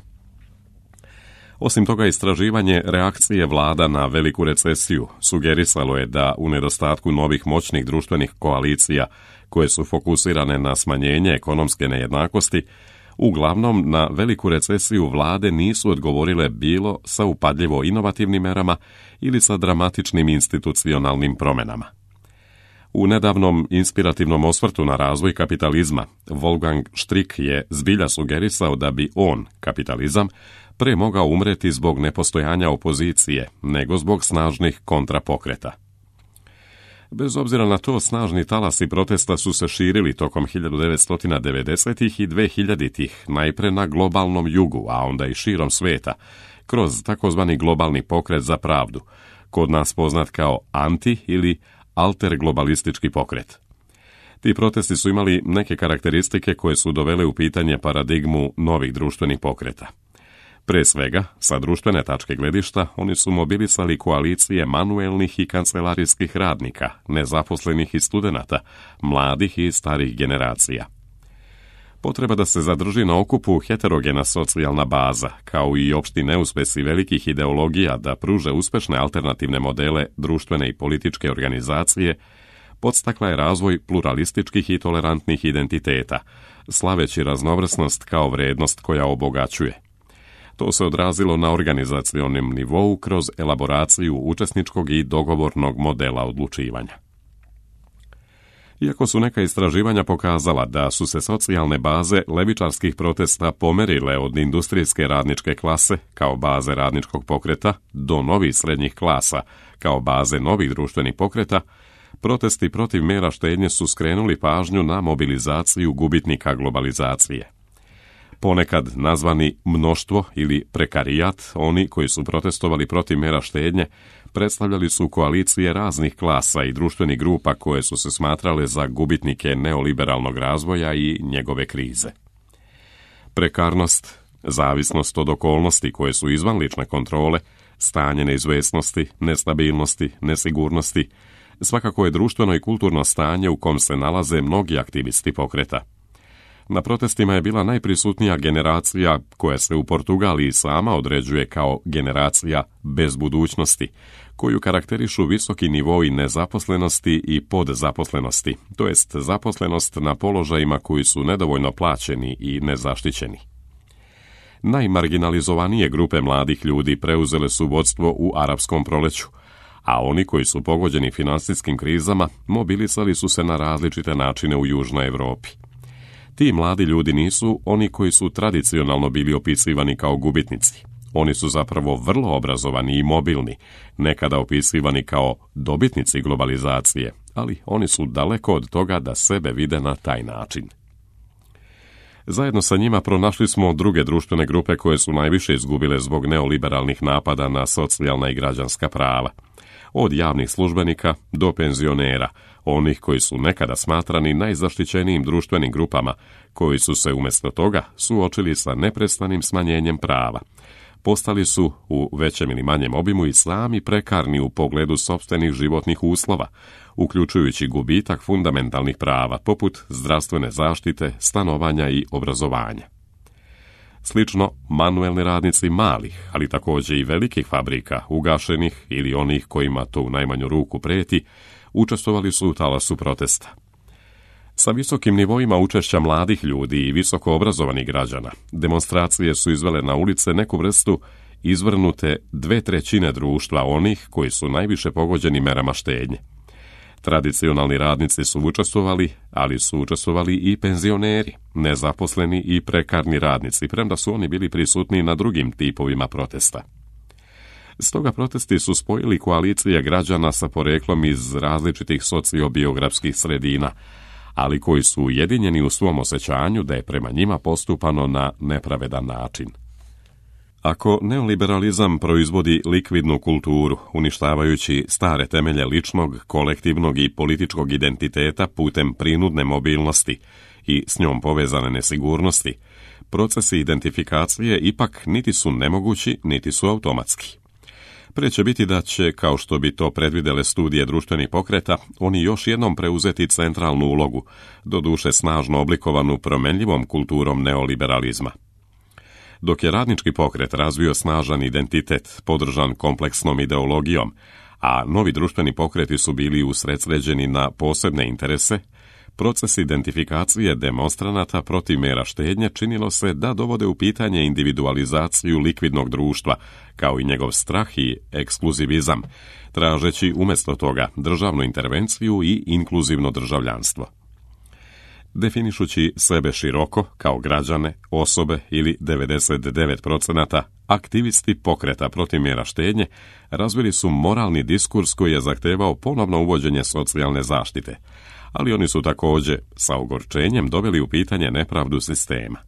Osim toga, istraživanje reakcije vlada na veliku recesiju sugerisalo je da u nedostatku novih moćnih društvenih koalicija koje su fokusirane na smanjenje ekonomske nejednakosti, uglavnom na veliku recesiju vlade nisu odgovorile bilo sa upadljivo inovativnim merama ili sa dramatičnim institucionalnim promjenama. U nedavnom inspirativnom osvrtu na razvoj kapitalizma, Wolfgang Strick je zbilja sugerisao da bi on, kapitalizam, pre mogao umreti zbog nepostojanja opozicije, nego zbog snažnih kontrapokreta. Bez obzira na to, snažni talasi protesta su se širili tokom hiljadu devetsto devedesetih i dvehiljaditih, najpre na globalnom jugu, a onda i širom sveta, kroz takozvani globalni pokret za pravdu, kod nas poznat kao anti- ili alterglobalistički pokret. Ti protesti su imali neke karakteristike koje su dovele u pitanje paradigmu novih društvenih pokreta. Pre svega, sa društvene tačke gledišta, oni su mobilisali koalicije manuelnih i kancelarijskih radnika, nezaposlenih i studenata, mladih i starih generacija. Potreba da se zadrži na okupu heterogena socijalna baza, kao i opšti neuspesi velikih ideologija da pruže uspešne alternativne modele društvene i političke organizacije, podstakla je razvoj pluralističkih i tolerantnih identiteta, slaveći raznovrsnost kao vrednost koja obogaćuje. To se odrazilo na organizacionom nivou kroz elaboraciju učesničkog i dogovornog modela odlučivanja. Iako su neka istraživanja pokazala da su se socijalne baze levičarskih protesta pomerile od industrijske radničke klase kao baze radničkog pokreta do novih srednjih klasa kao baze novih društvenih pokreta, protesti protiv mera štednje su skrenuli pažnju na mobilizaciju gubitnika globalizacije. Ponekad nazvani mnoštvo ili prekarijat, oni koji su protestovali protiv mera štednje, predstavljali su koalicije raznih klasa i društvenih grupa koje su se smatrale za gubitnike neoliberalnog razvoja i njegove krize. Prekarnost, zavisnost od okolnosti koje su izvan lične kontrole, stanje neizvesnosti, nestabilnosti, nesigurnosti, svakako je društveno i kulturno stanje u kom se nalaze mnogi aktivisti pokreta. Na protestima je bila najprisutnija generacija koja se u Portugaliji sama određuje kao generacija bez budućnosti, koju karakterišu visoki nivoi nezaposlenosti i podzaposlenosti, to jest zaposlenost na položajima koji su nedovoljno plaćeni i nezaštićeni. Najmarginalizovanije grupe mladih ljudi preuzele su vodstvo u arapskom proleću, a oni koji su pogođeni finansijskim krizama mobilisali su se na različite načine u Južnoj Evropi. Ti mladi ljudi nisu oni koji su tradicionalno bili opisivani kao gubitnici. Oni su zapravo vrlo obrazovani i mobilni, nekada opisivani kao dobitnici globalizacije, ali oni su daleko od toga da sebe vide na taj način. Zajedno sa njima pronašli smo druge društvene grupe koje su najviše izgubile zbog neoliberalnih napada na socijalna i građanska prava. Od javnih službenika do penzionera, onih koji su nekada smatrani najzaštićenijim društvenim grupama, koji su se umjesto toga suočili sa neprestanim smanjenjem prava. Postali su u većem ili manjem obimu i sami prekarni u pogledu sopstvenih životnih uslova, uključujući gubitak fundamentalnih prava poput zdravstvene zaštite, stanovanja i obrazovanja. Slično, manuelni radnici malih, ali također i velikih fabrika, ugašenih ili onih kojima to u najmanju ruku preti, učestvovali su u talasu protesta. Sa visokim nivoima učešća mladih ljudi i visoko obrazovanih građana, demonstracije su izvele na ulice neku vrstu izvrnute dve trećine društva onih koji su najviše pogođeni merama štednje. Tradicionalni radnici su učestvovali, ali su učestvovali i penzioneri, nezaposleni i prekarni radnici, premda su oni bili prisutni na drugim tipovima protesta. Stoga protesti su spojili koalicije građana sa poreklom iz različitih sociobiografskih sredina, ali koji su ujedinjeni u svom osjećanju da je prema njima postupano na nepravedan način. Ako neoliberalizam proizvodi likvidnu kulturu, uništavajući stare temelje ličnog, kolektivnog i političkog identiteta putem prinudne mobilnosti i s njom povezane nesigurnosti, procesi identifikacije ipak niti su nemogući, niti su automatski. Prije će biti da će, kao što bi to predvidele studije društvenih pokreta, oni još jednom preuzeti centralnu ulogu, doduše snažno oblikovanu promenljivom kulturom neoliberalizma. Dok je radnički pokret razvio snažan identitet, podržan kompleksnom ideologijom, a novi društveni pokreti su bili usredsređeni na posebne interese, proces identifikacije demonstranata protiv mera štednje činilo se da dovode u pitanje individualizaciju likvidnog društva, kao i njegov strah i ekskluzivizam, tražeći umjesto toga državnu intervenciju i inkluzivno državljanstvo. Definišući sebe široko, kao građane, osobe ili devedeset devet posto aktivisti pokreta protiv mjera štednje razvili su moralni diskurs koji je zahtevao ponovno uvođenje socijalne zaštite, ali oni su također sa ogorčenjem doveli u pitanje nepravdu sistema.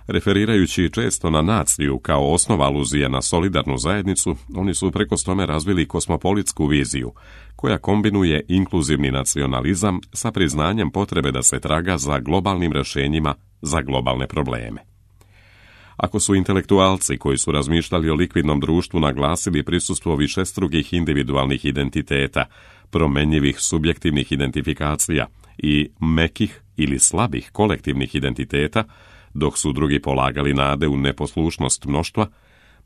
Referirajući često na naciju kao osnova aluzije na solidarnu zajednicu, oni su preko tome razvili kosmopolitsku viziju, koja kombinuje inkluzivni nacionalizam sa priznanjem potrebe da se traga za globalnim rješenjima za globalne probleme. Ako su intelektualci koji su razmišljali o likvidnom društvu naglasili prisustvo višestrukih individualnih identiteta, promenjivih subjektivnih identifikacija i mekih ili slabih kolektivnih identiteta, dok su drugi polagali nade u neposlušnost mnoštva,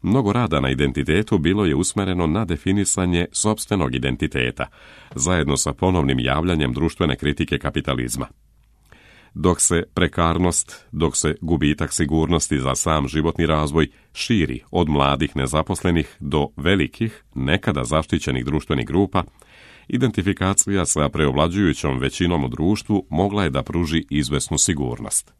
mnogo rada na identitetu bilo je usmjereno na definisanje sopstvenog identiteta, zajedno sa ponovnim javljanjem društvene kritike kapitalizma. Dok se prekarnost, dok se gubitak sigurnosti za sam životni razvoj širi od mladih nezaposlenih do velikih, nekada zaštićenih društvenih grupa, identifikacija sa preovlađujućom većinom u društvu mogla je da pruži izvesnu sigurnost.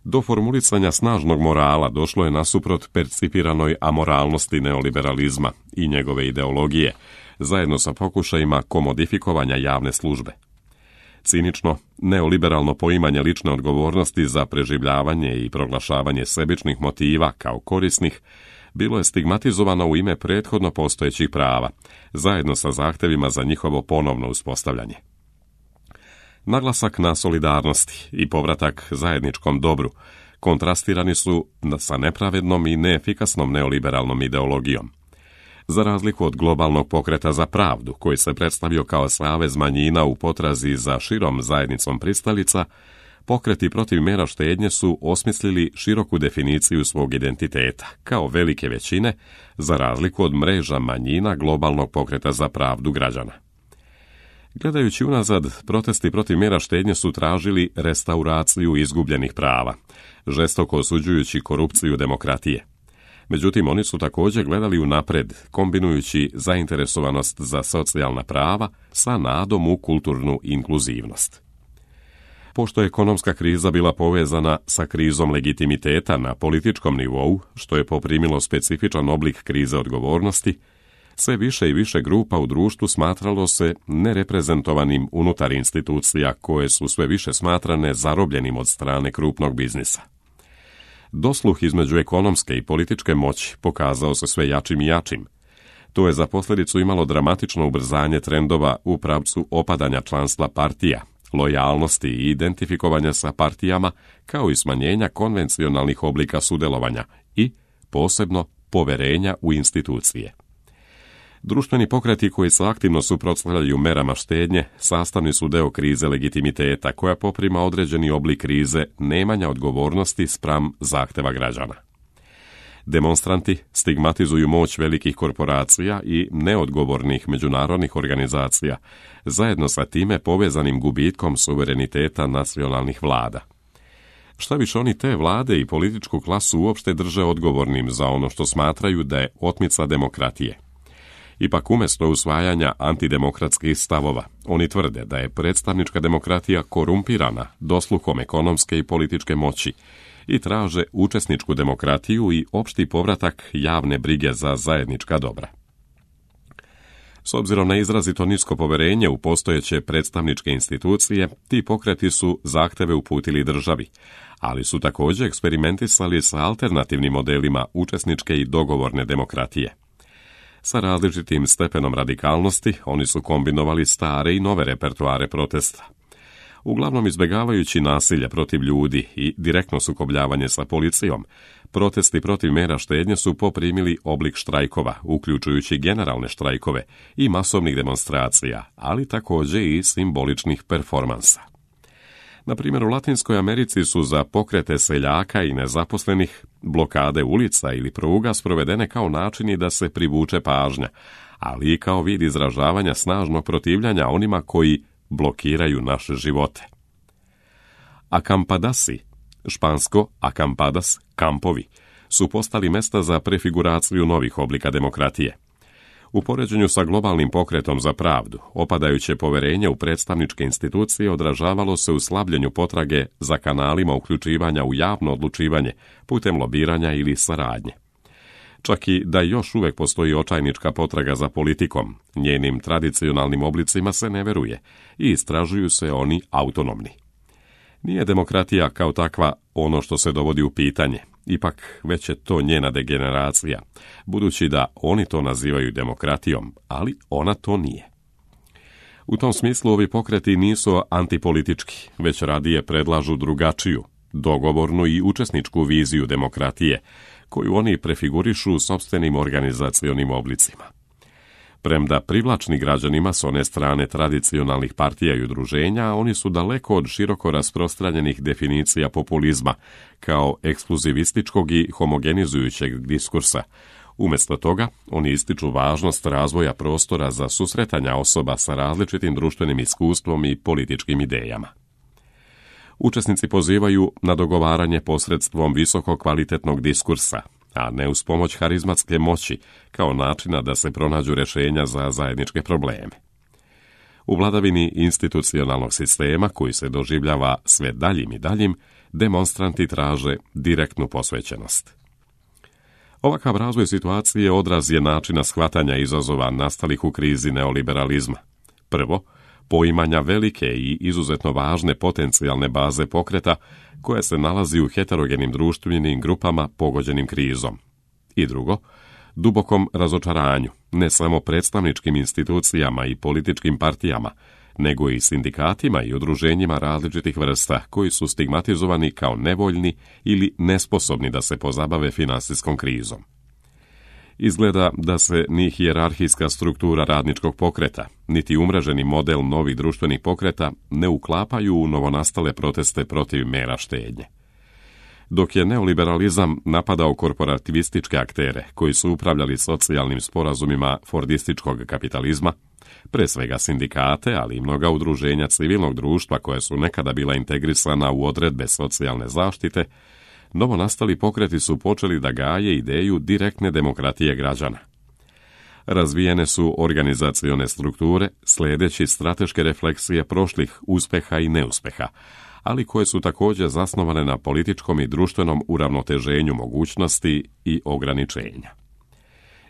Do formulisanja snažnog morala došlo je nasuprot percipiranoj amoralnosti neoliberalizma i njegove ideologije, zajedno sa pokušajima komodifikovanja javne službe. Cinično, neoliberalno poimanje lične odgovornosti za preživljavanje i proglašavanje sebičnih motiva kao korisnih bilo je stigmatizovano u ime prethodno postojećih prava, zajedno sa zahtevima za njihovo ponovno uspostavljanje. Naglasak na solidarnosti i povratak zajedničkom dobru kontrastirani su sa nepravednom i neefikasnom neoliberalnom ideologijom. Za razliku od globalnog pokreta za pravdu, koji se predstavio kao savez manjina u potrazi za širom zajednicom pristalica, pokreti protiv mjera štednje su osmislili široku definiciju svog identiteta, kao velike većine, za razliku od mreža manjina globalnog pokreta za pravdu građana. Gledajući unazad, protesti protiv mjera štednje su tražili restauraciju izgubljenih prava, žestoko osuđujući korupciju demokratije. Međutim, oni su također gledali unapred, kombinujući zainteresovanost za socijalna prava sa nadom u kulturnu inkluzivnost. Pošto je ekonomska kriza bila povezana sa krizom legitimiteta na političkom nivou, što je poprimilo specifičan oblik krize odgovornosti, sve više i više grupa u društvu smatralo se nereprezentovanim unutar institucija koje su sve više smatrane zarobljenim od strane krupnog biznisa. Dosluh između ekonomske i političke moći pokazao se sve jačim i jačim. To je za posljedicu imalo dramatično ubrzanje trendova u pravcu opadanja članstva partija, lojalnosti i identifikovanja sa partijama, kao i smanjenja konvencionalnih oblika sudjelovanja i, posebno, poverenja u institucije. Društveni pokreti koji se aktivno suprotstavljaju merama štednje sastavni su deo krize legitimiteta koja poprima određeni oblik krize nemanja odgovornosti spram zahteva građana. Demonstranti stigmatizuju moć velikih korporacija i neodgovornih međunarodnih organizacija, zajedno sa time povezanim gubitkom suvereniteta nacionalnih vlada. Šta više, oni te vlade i političku klasu uopšte drže odgovornim za ono što smatraju da je otmica demokratije. Ipak umjesto usvajanja antidemokratskih stavova, oni tvrde da je predstavnička demokratija korumpirana dosluhom ekonomske i političke moći i traže učesničku demokratiju i opšti povratak javne brige za zajednička dobra. S obzirom na izrazito nisko poverenje u postojeće predstavničke institucije, ti pokreti su zahteve uputili državi, ali su također eksperimentisali sa alternativnim modelima učesničke i dogovorne demokratije. Sa različitim stepenom radikalnosti oni su kombinovali stare i nove repertoare protesta. Uglavnom izbjegavajući nasilje protiv ljudi i direktno sukobljavanje sa policijom, protesti protiv mera štednje su poprimili oblik štrajkova, uključujući generalne štrajkove i masovnih demonstracija, ali također i simboličnih performansa. Na primjer, u Latinskoj Americi su za pokrete seljaka i nezaposlenih blokade ulica ili pruga sprovedene kao načini da se privuče pažnja, ali i kao vid izražavanja snažnog protivljanja onima koji blokiraju naše živote. Acampadasi, špansko acampadas, kampovi, su postali mesta za prefiguraciju novih oblika demokratije. U poređenju sa globalnim pokretom za pravdu, opadajuće poverenje u predstavničke institucije odražavalo se u slabljenju potrage za kanalima uključivanja u javno odlučivanje putem lobiranja ili saradnje. Čak i da još uvijek postoji očajnička potraga za politikom, njenim tradicionalnim oblicima se ne veruje i istražuju se oni autonomni. Nije demokratija kao takva ono što se dovodi u pitanje, ipak već je to njena degeneracija, budući da oni to nazivaju demokratijom, ali ona to nije. U tom smislu ovi pokreti nisu antipolitički, već radije predlažu drugačiju, dogovornu i učesničku viziju demokratije, koju oni prefigurišu sopstvenim organizacionim oblicima. Premda privlačni građanima s one strane tradicionalnih partija i udruženja, oni su daleko od široko rasprostranjenih definicija populizma, kao ekskluzivističkog i homogenizujućeg diskursa. Umjesto toga, oni ističu važnost razvoja prostora za susretanja osoba sa različitim društvenim iskustvom i političkim idejama. Učesnici pozivaju na dogovaranje posredstvom visoko kvalitetnog diskursa, a ne uz pomoć harizmatske moći, kao načina da se pronađu rješenja za zajedničke probleme. U vladavini institucionalnog sistema, koji se doživljava sve daljim i daljim, demonstranti traže direktnu posvećenost. Ovakav razvoj situacije odraz je načina shvatanja izazova nastalih u krizi neoliberalizma. Prvo, poimanja velike i izuzetno važne potencijalne baze pokreta koja se nalazi u heterogenim društvenim grupama pogođenim krizom. I drugo, dubokom razočaranju, ne samo predstavničkim institucijama i političkim partijama, nego i sindikatima i udruženjima različitih vrsta koji su stigmatizovani kao nevoljni ili nesposobni da se pozabave finansijskom krizom. Izgleda da se ni hijerarhijska struktura radničkog pokreta, niti umreženi model novih društvenih pokreta ne uklapaju u novonastale proteste protiv mera štednje. Dok je neoliberalizam napadao korporativističke aktere koji su upravljali socijalnim sporazumima fordističkog kapitalizma, pre svega sindikate, ali i mnoga udruženja civilnog društva koja su nekada bila integrisana u odredbe socijalne zaštite, novonastali pokreti su počeli da gaje ideju direktne demokratije građana. Razvijene su organizacione strukture sljedeći strateške refleksije prošlih uspeha i neuspeha, ali koje su također zasnovane na političkom i društvenom uravnoteženju mogućnosti i ograničenja.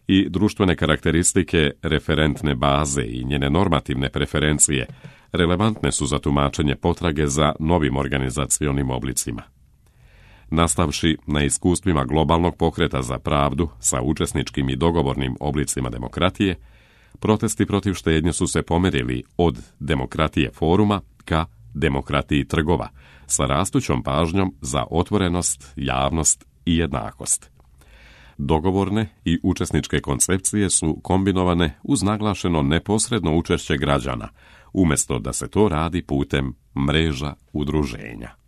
I društvene karakteristike referentne baze i njene normativne preferencije relevantne su za tumačenje potrage za novim organizacionim oblicima. Nastavši na iskustvima globalnog pokreta za pravdu sa učesničkim i dogovornim oblicima demokratije, protesti protiv štednje su se pomerili od demokratije foruma ka demokratiji trgova, sa rastućom pažnjom za otvorenost, javnost i jednakost. Dogovorne i učesničke koncepcije su kombinovane uz naglašeno neposredno učešće građana, umjesto da se to radi putem mreža udruženja.